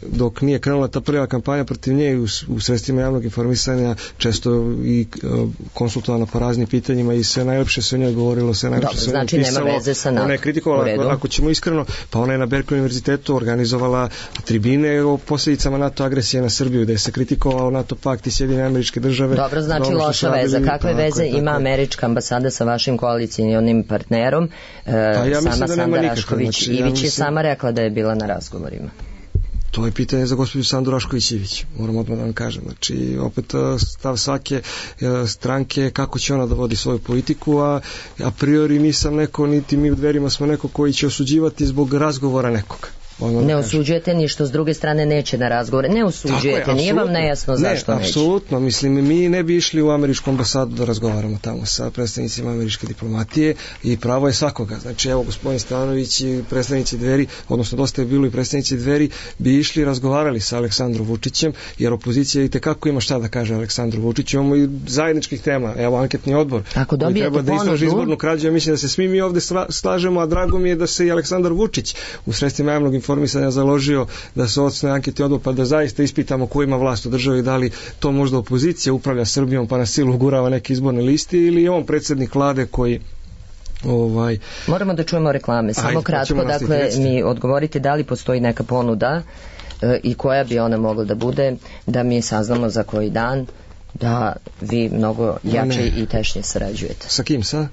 dok nije krenula ta prva kampanja protiv nje u, u sredstvima javnog informisanja, često i uh, konsultovano po raznim pitanjima i sve najlepše se o njoj govorilo, sve najlepše Dobro, se o njoj znači pisalo. Nema veze sa NATO. Ona je kritikovala, ako, ako ćemo iskreno, pa ona je na Berkeley univerzitetu organizovala tribine o posljedicama NATO agresije na Srbiju, gde se kritikovao NATO pakt i Sjedinjene Američke Države. Dobro, znači loša veza. Kakve tako, veze tako, ima tako. Američka ambasada sa vašim koalicijnim partnerom? Uh, ja sama da Sanda Rašković znači, Ivić ja mislim... je sama rekla da je bila na razgovorima. To je pitanje za gospođu Sandu Rašković Ivić, moram odmah da vam kažem. Znači, opet stav svake stranke kako će ona da vodi svoju politiku, a a priori nisam neko, niti mi u Dverima smo neko koji će osuđivati zbog razgovora nekoga. Ne osuđujete ni što s druge strane neće na razgovore. Ne osuđujete, je, nije vam nejasno zašto ne, neće. Apsolutno, mislim, mi ne bi išli u američku ambasadu da razgovaramo tamo sa predstavnicima američke diplomatije i pravo je svakoga. Znači, evo, gospodin Stanović i predstavnici Dveri, odnosno dosta je bilo i predstavnici Dveri, bi išli i razgovarali sa Aleksandrom Vučićem, jer opozicija i tekako ima šta da kaže Aleksandru Vučiću. Imamo i zajedničkih tema, evo, anketni odbor. Ako koji treba da istraži izbornu krađu, ja mislim da se svi mi ovde slažemo, a drago mi je da se i Aleksandar Vučić u sredstvima javnog informisanja informisanja založio da se osnuje anketni odbor pa da zaista ispitamo ko ima vlast u državi, da li to možda opozicija upravlja Srbijom pa na silu gurava neke izborne listi ili je on predsjednik vlade koji ovaj... Moramo da čujemo reklame, samo Ajde, kratko, dakle mi odgovorite da li postoji neka ponuda e, i koja bi ona mogla da bude, da mi saznamo za koji dan da vi mnogo jače ne. i tešnje sarađujete. Sa kim sad?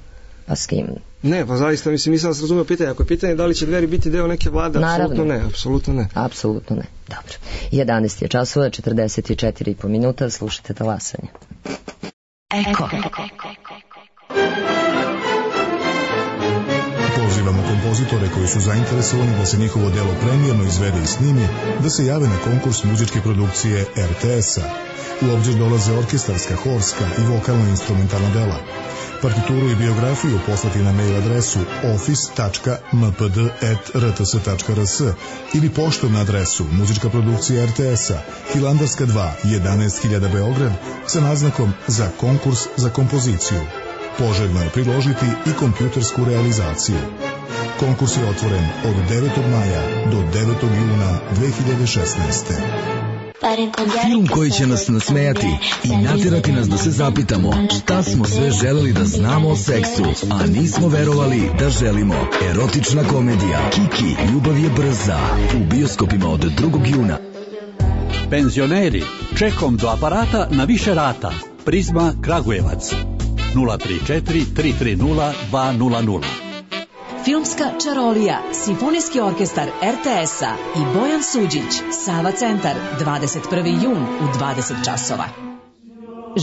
Pa s kim? Ne, pa zaista mislim, nisam vas razumio pitanje. Ako je pitanje da li će Dveri biti deo neke vlade, apsolutno ne, apsolutno ne. Apsolutno ne, dobro. jedanaest je časova, četrdeset četiri i po minuta, slušajte talasanje. Eko. Pozivamo kompozitore koji su zainteresovani da se njihovo delo premijerno izvede i snimi, da se jave na konkurs muzičke produkcije er te es-a. U obzir dolaze orkestarska, horska i vokalno-instrumentalna dela. Partituru i biografiju poslati na mail adresu office tačka m p d at r t s tačka r s ili poštom na adresu muzička produkcija er te es-a, Hilandarska dva, jedanaest hiljada Beograd, sa naznakom za konkurs za kompoziciju. Poželjno je priložiti i kompjutersku realizaciju. Konkurs je otvoren od devetog maja do devetog juna dve hiljade šesnaeste. Film koji će nas nasmejati i natjerati nas da se zapitamo šta smo sve želeli da znamo o seksu, a nismo verovali da želimo. Erotična komedija Kiki, ljubav je brza, u bioskopima od drugog juna. Penzioneri, čekom do aparata na više rata. Prizma Kragujevac nula tri četiri tri tri nula dva nula nula. Filmska čarolija, Simfonijski orkestar er te es-a i Bojan Suđić, Sava centar, dvadeset prvi jun u dvadeset časova.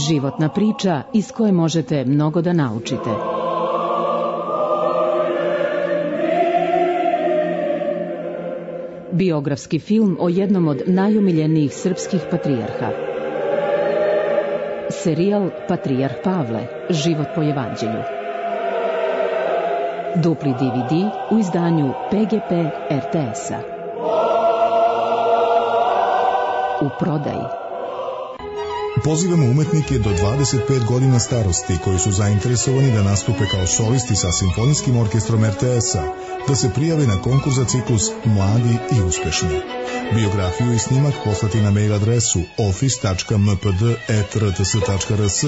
Životna priča iz koje možete mnogo da naučite. Biografski film o jednom od najomiljenijih srpskih patrijarha. Serijal Patrijarh Pavle, život po evanđelju. Dupli de ve de u izdanju pe ge pe er te es-a. U prodaji. Pozivamo umetnike do dvadeset pet godina starosti koji su zainteresovani da nastupe kao solisti sa Simfonijskim orkestrom er te es-a, da se prijave na konkurs za ciklus Mladi i uspešni. Biografiju i snimak poslati na mail adresu office tačka m p d at r t s tačka r s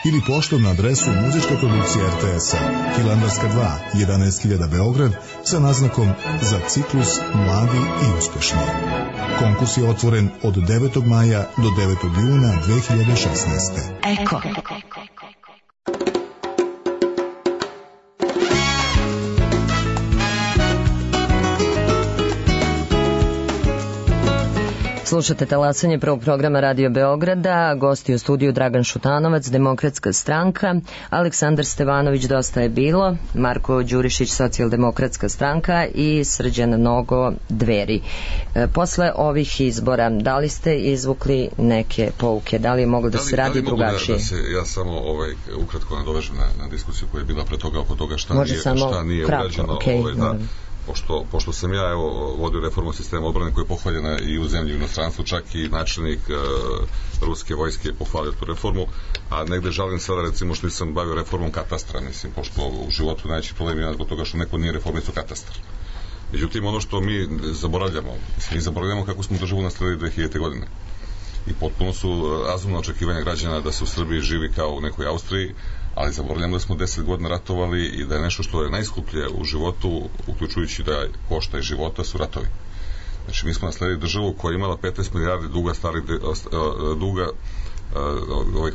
ili poštom na adresu muzička produkcija er te es-a, Hilandarska dva, jedanaest hiljada Beograd, sa naznakom za ciklus Mladi i uspešni. Konkurs je otvoren od devetog maja do devetog juna dve hiljade šesnaeste. Eko. Slušate talasanje prvog programa Radio Beograda, gosti u studiju Dragan Šutanovac, Demokratska stranka, Aleksandar Stevanović, Dosta je bilo, Marko Đurišić, Socijaldemokratska stranka i Srđan Nogo, Dveri. E, posle ovih izbora, da li ste izvukli neke pouke, da li je moglo da, da li, se radi da drugačije? Da, da se, ja samo ovaj, ukratko nadovežem na, na diskusiju koja je bila pre toga oko toga šta Može nije, šta nije kratko, urađeno. Okay, ovaj, da, Pošto, pošto sam ja evo, vodio reformu sistema odbrane koja je pohvaljena i u zemlji i u inostranstvu, čak i načelnik e, ruske vojske je pohvalio tu reformu, a negde žalim sada recimo što nisam bavio reformom katastra, mislim, pošto u životu najveći problem je zbog toga što neko nije reformisto katastar. Međutim, ono što mi zaboravljamo, mi zaboravljamo kako smo državu nastavili dve hiljadite godine. I potpuno su razumna očekivanja građana da se u Srbiji živi kao u nekoj Austriji, ali zaboravljamo da smo deset godina ratovali i da je nešto što je najskuplje u životu, uključujući da košta i života, su ratovi. Znači, mi smo nasledili državu koja je imala petnaest milijardi duga, stari, duga, ovih,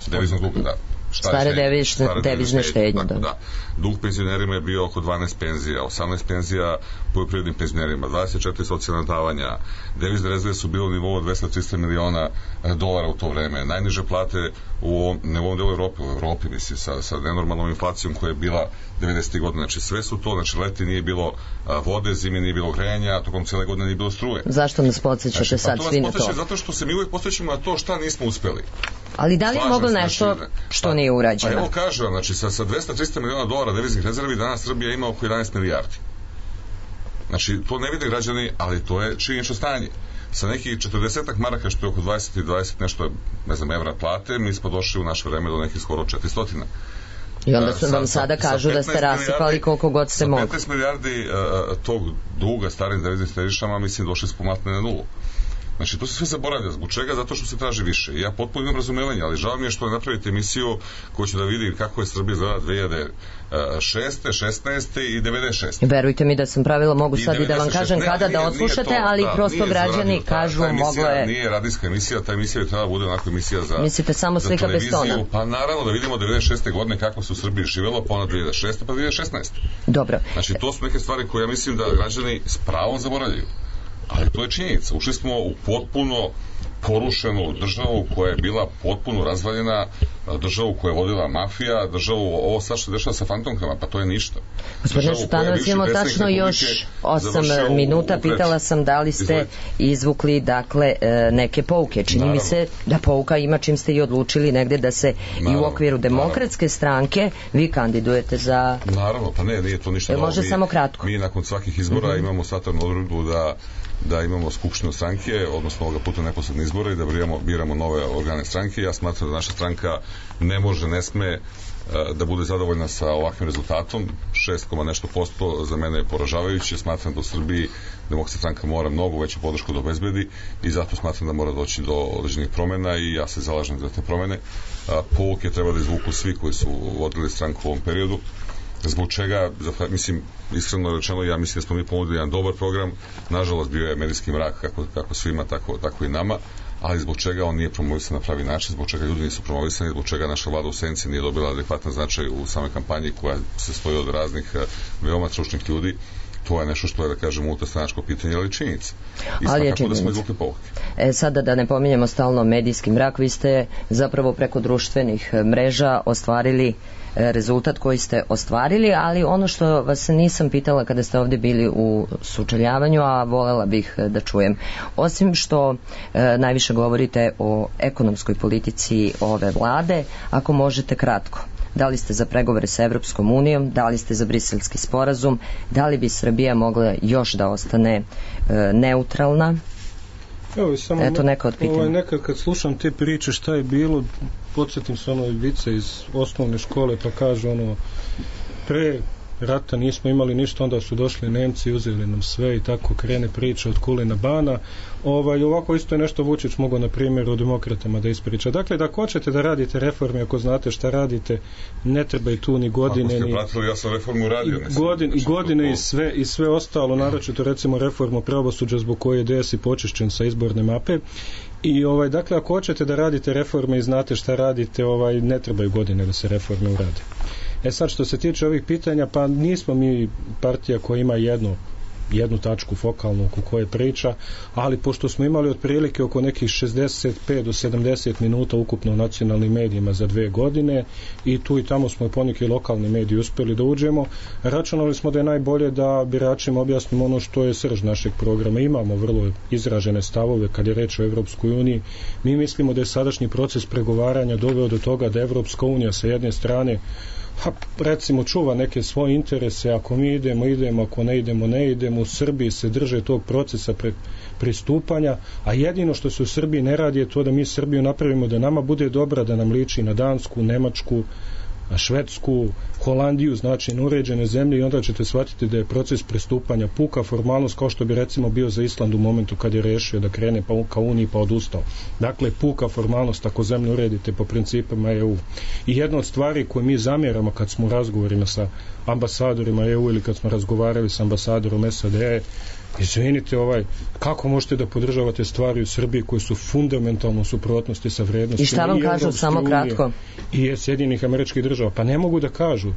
deviznog duga, da. Stare devizne, devizne štednje. Da. da. Dug penzionerima je bio oko dvanaest penzija, osamnaest penzija poljoprivrednim penzionerima, dvadeset četiri socijalna davanja, devizne rezerve su bile u nivou dvesta do trista miliona dolara u to vreme, najniže plate u ovom, ne u ovom delu Evrope, u Evropi, misli, sa, sa nenormalnom inflacijom koja je bila devedesetih godina, znači sve su to, znači leti nije bilo vode, zimi nije bilo grejanja, a tokom cijele godine nije bilo struje. Zašto nas podsjećate znači, sad pa svi na to? Zato što se mi uvijek podsjećamo na to šta nismo uspeli. Ali da li je moglo nešto znači, što nije urađeno? Pa evo kažem, znači sa, sa dvesta do trista miliona dolara deviznih rezervi danas Srbija ima oko jedanaest milijardi. Znači, to ne vide građani, ali to je činjenično stanje. Sa nekih četrdesetak maraka, što je oko dvadeset i dvadeset nešto, ne znam, evra plate, mi smo došli u naše vreme do nekih skoro četiristo. I onda su vam sada kažu da ste rasipali koliko god ste mogli. Sa petnaest milijardi uh, tog duga starim deviznim štedišama, mislim, došli smo matne na nulu. Znači, to se sve zaboravlja. Zbog čega? Zato što se traži više. I ja potpuno imam razumevanje, ali žao mi je što napravite emisiju koju ću da vidi kako je Srbija izgleda dve hiljade šeste, šesnaeste i devedeset šeste. Verujte mi da sam pravila, mogu sad i da vam kažem kada da odslušate, ali prosto građani kažu moglo je... Nije radijska emisija, ta emisija je trebala bude onako emisija za... Mislite samo slika bez tona? Pa naravno da vidimo devedeset šeste godine kako se u Srbiji živelo, pa onda dve hiljade šeste pa dve hiljade šesnaeste. Dobro. Znači, to su neke stvari koje ja mislim da građani s pravom zaboravljaju. Ali to je činjenica. Ušli smo u potpuno porušenu državu koja je bila potpuno razvaljena, državu koja je vodila mafija, državu, ovo sad što dešava sa fantomkama, pa to je ništa. Gospodine Šutanović, imamo tačno još osam minuta, pitala sam da li ste izvukli dakle neke pouke. Čini mi se da pouka ima čim ste i odlučili negde da se i u okviru demokratske stranke vi kandidujete za... Naravno, pa ne, nije to ništa novo. Može samo kratko. Mi nakon svakih izbora imamo satarnu odredbu da da imamo skupštinu stranke, odnosno ovoga puta neposredne izbore i da biramo, biramo nove organe stranke. Ja smatram da naša stranka ne može, ne sme da bude zadovoljna sa ovakvim rezultatom. šest, nešto posto za mene je poražavajuće. Smatram da u Srbiji Demokratska stranka mora mnogo veću podršku da obezbedi i zato smatram da mora doći do određenih promena i ja se zalažem za te promene. Pouke treba da izvuku svi koji su vodili stranku u ovom periodu. Zbog čega, mislim, iskreno rečeno, ja mislim da smo mi ponudili jedan dobar program, nažalost bio je medijski mrak kako, kako svima, tako, tako i nama, ali zbog čega on nije promovisan na pravi način, zbog čega ljudi nisu promovisani, zbog čega naša vlada u senci nije dobila adekvatan značaj u samoj kampanji koja se stoji od raznih veoma stručnih ljudi. To je nešto što je, da kažem, unutarstranačko pitanje, ali činjenica. I svakako da smo izvukli pouke. E, sada da ne pominjemo stalno medijski mrak, vi ste zapravo preko društvenih mreža ostvarili rezultat koji ste ostvarili, ali ono što vas nisam pitala kada ste ovdje bili u sučeljavanju, a volela bih da čujem, osim što e, najviše govorite o ekonomskoj politici ove vlade, ako možete kratko, da li ste za pregovore sa Evropskom unijom, da li ste za briselski sporazum, da li bi Srbija mogla još da ostane e, neutralna? Evo, samo Eto neka od pitanja. Ovaj, nekad kad slušam te priče šta je bilo, podsjetim se ono vice iz osnovne škole pa kaže ono pre rata nismo imali ništa, onda su došli Nemci i uzeli nam sve i tako krene priča od Kulina Bana. Ovaj, ovako isto je nešto Vučić mogao na primjer o demokratama da ispriča. Dakle, da ako hoćete da radite reforme, ako znate šta radite, ne treba i tu ni godine ako ste pratili, ja sam reformu radio, i, godin, i godine i sve, i sve ostalo, naročito recimo reformu pravosuđa zbog koje je D S i počišćen sa izborne mape. I ovaj, dakle, ako hoćete da radite reforme i znate šta radite, ovaj, ne trebaju godine da se reforme urade. E sad, što se tiče ovih pitanja, pa nismo mi partija koja ima jednu jednu tačku fokalnu oko koje priča, ali pošto smo imali otprilike oko nekih šezdeset pet do sedamdeset minuta ukupno u nacionalnim medijima za dve godine i tu i tamo smo poneki lokalni mediji uspeli da uđemo, računali smo da je najbolje da biračima objasnimo ono što je srž našeg programa. Imamo vrlo izražene stavove kad je reč o Evropskoj uniji. Mi mislimo da je sadašnji proces pregovaranja doveo do toga da Evropska unija sa jedne strane ha, recimo čuva neke svoje interese, ako mi idemo, idemo, ako ne idemo, ne idemo. U Srbiji se drže tog procesa pre, pristupanja, a jedino što se u Srbiji ne radi je to da mi Srbiju napravimo da nama bude dobra, da nam liči na Dansku, Nemačku, Švedsku, Holandiju, znači na uređene zemlje, i onda ćete shvatiti da je proces pristupanja puka formalnost, kao što bi recimo bio za Island u momentu kad je rešio da krene pa ka Uniji pa odustao. Dakle, puka formalnost ako zemlju uredite po principima E U. I jedna od stvari koje mi zamjeramo kad smo u razgovorima sa ambasadorima E U ili kad smo razgovarali sa ambasadorom S A D, izvinite, ovaj, kako možete da podržavate stvari u Srbiji koje su fundamentalno u suprotnosti sa vrednostima i šta vam kažu, samo kratko, i Sjedinjenih Američkih Država? Pa ne mogu da kažu.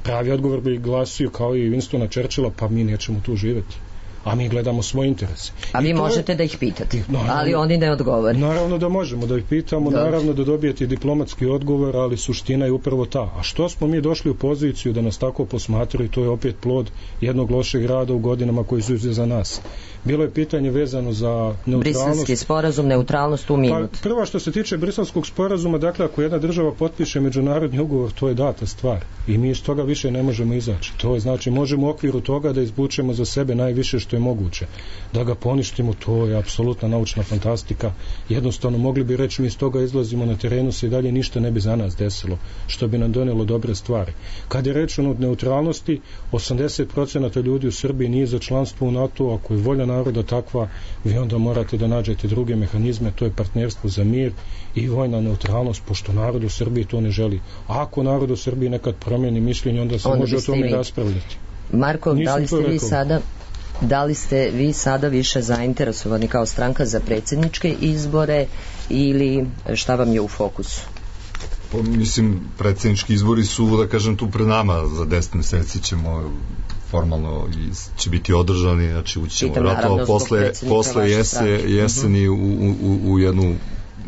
Pravi odgovor bi glasio kao i Winstona Churchilla, pa mi nećemo tu živeti, a mi gledamo svoje interese. A vi možete je... da ih pitate, naravno, ali oni ne odgovore. Naravno da možemo da ih pitamo, Dobre. naravno da dobijete diplomatski odgovor, ali suština je upravo ta. A što smo mi došli u poziciju da nas tako posmatraju, to je opet plod jednog lošeg rada u godinama koji su za nas. Bilo je pitanje vezano za neutralnost. Briselski sporazum, neutralnost u minut. Pa, prvo što se tiče briselskog sporazuma, dakle, ako jedna država potpiše međunarodni ugovor, to je data stvar. I mi iz toga više ne možemo izaći. To je, znači, možemo u okviru toga da izvučemo za sebe najviše što što je moguće. Da ga poništimo, to je apsolutna naučna fantastika. Jednostavno mogli bi reći mi iz toga izlazimo na terenu, se i dalje ništa ne bi za nas desilo, što bi nam donelo dobre stvari. Kad je reč o neutralnosti, osamdeset procenata ljudi u Srbiji nije za članstvo u NATO, ako je volja naroda takva, vi onda morate da nađete druge mehanizme, to je partnerstvo za mir i vojna neutralnost, pošto narod u Srbiji to ne želi. A ako narod u Srbiji nekad promijeni mišljenje, onda se onda može o tome raspravljati. Marko, Nisam da li ste vi rekao. sada da li ste vi sada više zainteresovani kao stranka za predsjedničke izbore ili šta vam je u fokusu? Pa, mislim, predsjednički izbori su, da kažem, tu pred nama, za deset meseci ćemo formalno i će biti održani, znači ući ćemo vratno posle, posle jese, jeseni u, u, u jednu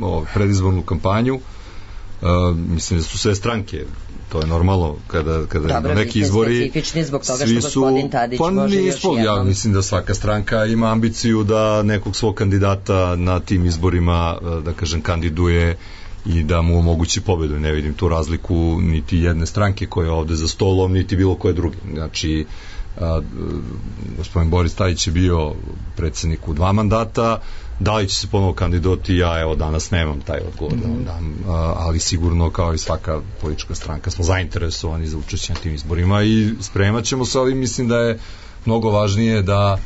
o, predizbornu kampanju. Uh, mislim da su sve stranke, to je normalno kada, kada Dobre, neki izbori specifični zbog toga svi što su, gospodin Tadić pa može još nismo, jednom. ja mislim da svaka stranka ima ambiciju da nekog svog kandidata na tim izborima, da kažem, kandiduje i da mu omogući pobedu. Ne vidim tu razliku niti jedne stranke koja je ovde za stolom, niti bilo koje druge. Znači, a, gospodin Boris Tadić je bio predsjednik u dva mandata, da li će se ponovo kandidati, ja evo danas nemam taj odgovor, mm-hmm. da vam, ali sigurno kao i svaka politička stranka smo zainteresovani za učešće na tim izborima i spremat ćemo se, ali mislim da je mnogo važnije da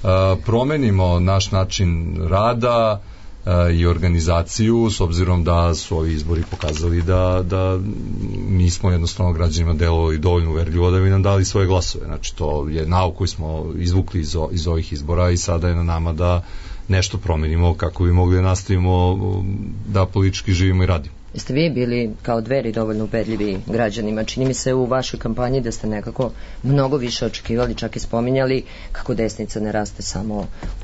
a, promenimo naš način rada a, i organizaciju, s obzirom da su ovi izbori pokazali da, da mi smo jednostavno građanima delovali dovoljno uverljivo da bi nam dali svoje glasove. Znači to je nauk koji smo izvukli iz, o, iz ovih izbora i sada je na nama da nešto promenimo kako bi mogli da nastavimo da politički živimo i radimo. Jeste vi bili kao Dveri dovoljno ubedljivi građanima? Čini mi se u vašoj kampanji da ste nekako mnogo više očekivali, čak i spominjali kako desnica ne raste samo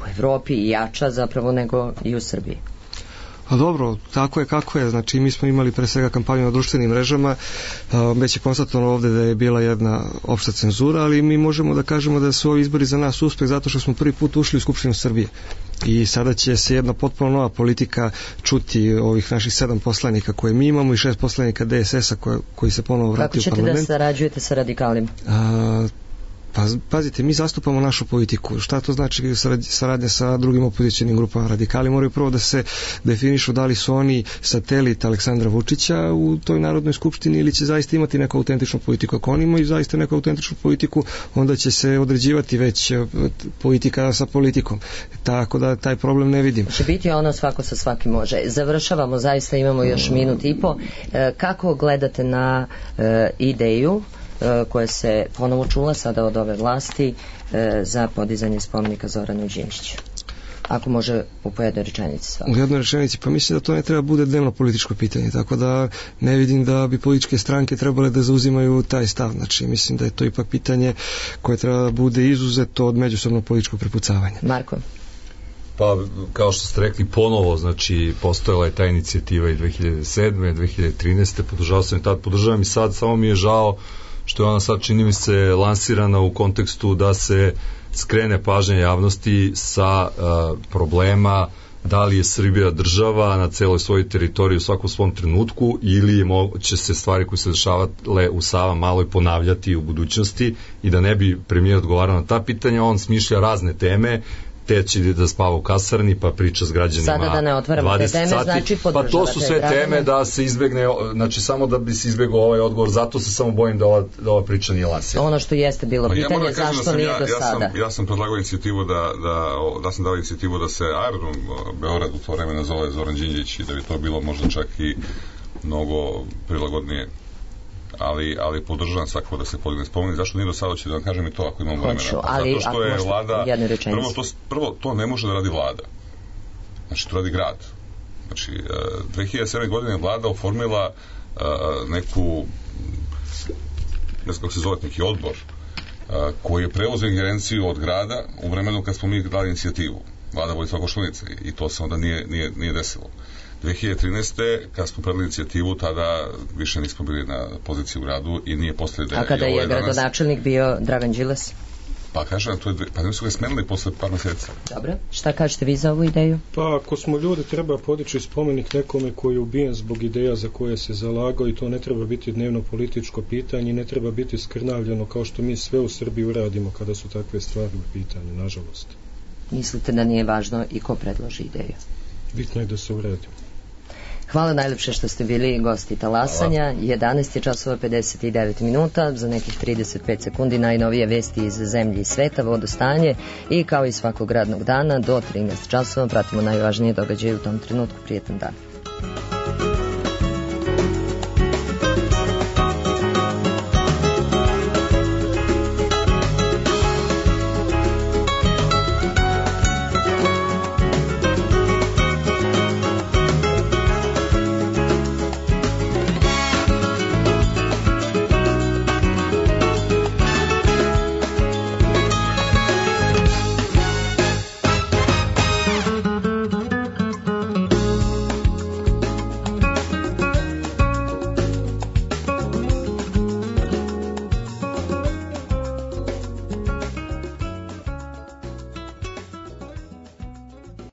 u Evropi i jača zapravo nego i u Srbiji. A dobro, tako je kako je, znači mi smo imali pre svega kampanju na društvenim mrežama, već je konstatovano ovde da je bila jedna opšta cenzura, ali mi možemo da kažemo da su ovi izbori za nas uspeh zato što smo prvi put ušli u Skupštinu Srbije i sada će se jedna potpuno nova politika čuti ovih naših sedam poslanika koje mi imamo i šest poslanika D S S-a koje, koji se ponovo vrati u parlament. Kako ćete da sarađujete sa radikalima? A, Pa, pazite, mi zastupamo našu politiku. Šta to znači saradnja sa drugim opozicionim grupama? Radikali moraju prvo da se definišu da li su oni satelit Aleksandra Vučića u toj Narodnoj skupštini ili će zaista imati neku autentičnu politiku. Ako oni imaju zaista neku autentičnu politiku, onda će se određivati već politika sa politikom. Tako da taj problem ne vidim. Će biti ono svako sa svakim može. Završavamo, zaista imamo još minut i po. Kako gledate na ideju koja se ponovo čula sada od ove vlasti za podizanje spomenika Zoranu Đinđiću? Ako može u pojednoj rečenici svakako. U jednoj rečenici, pa mislim da to ne treba bude dnevno političko pitanje, tako da ne vidim da bi političke stranke trebale da zauzimaju taj stav. Znači, mislim da je to ipak pitanje koje treba da bude izuzeto od međusobnog političkog prepucavanja. Marko? Pa, kao što ste rekli, ponovo, znači, postojala je ta inicijativa i dve hiljade sedme, dve hiljade trinaeste, podržao sam i tad, podržavam i sad, samo mi je žao što je ona sad, čini mi se, lansirana u kontekstu da se skrene pažnja javnosti sa uh, problema da li je Srbija država na celoj svojoj teritoriji u svakom svom trenutku ili će se stvari koje se dešavale u Sava Maloj ponavljati u budućnosti i da ne bi premijer odgovarao na ta pitanja, on smišlja razne teme, te će da spava u kasarni pa priča s građanima sada da ne otvaramo te teme, sati. Znači pa to su sve građane. Teme da se izbegne, znači samo da bi se izbegao ovaj odgovor, zato se samo bojim da ova, da ova priča nije lansirana. Ono što jeste bilo pa pitanje, ja zašto da nije ja, do ja sada? Sam, ja sam predlagao inicijativu da, da, da sam dao inicijativu da se aerodrom Beograd u to vreme nazove Zoran Đinđić i da bi to bilo možda čak i mnogo prilagodnije. ali, ali podržavam svakako da se podigne spomenik. Zašto nije do sada, ću da vam kažem i to ako imamo vremena. Ali, zato što je vlada, prvo to, prvo to ne može da radi vlada. Znači to radi grad. Znači dve hiljade sedme godine vlada oformila uh, neku ne znam kako se zove, neki odbor uh, koji je preuzeo ingerenciju od grada u vremenu kad smo mi dali inicijativu. Vlada Vojislava Koštunice i to se onda nije, nije, nije desilo. dve hiljade trinaeste kad smo predali inicijativu, tada više nismo bili na poziciji u gradu i nije postali da je... A kada je gradonačelnik bio Dragan Đilas? Pa kažem, to je, pa ne su ga smenili posle par mjeseca. Dobro, šta kažete vi za ovu ideju? Pa ako smo ljudi, treba podići spomenik nekome koji je ubijen zbog ideja za koje se zalagao i to ne treba biti dnevno političko pitanje, ne treba biti skrnavljeno kao što mi sve u Srbiji uradimo kada su takve stvari u pitanju, nažalost. Mislite da nije važno i ko predloži ideju? Bitno je da se uradi. Hvala najlepše što ste bili gosti talasanja. jedanaest je časova pedeset devet minuta, za nekih trideset pet sekundi najnovije vesti iz zemlje i sveta, vodostanje i kao i svakog radnog dana do trinaest časova pratimo najvažnije događaje u tom trenutku. Prijetan dan.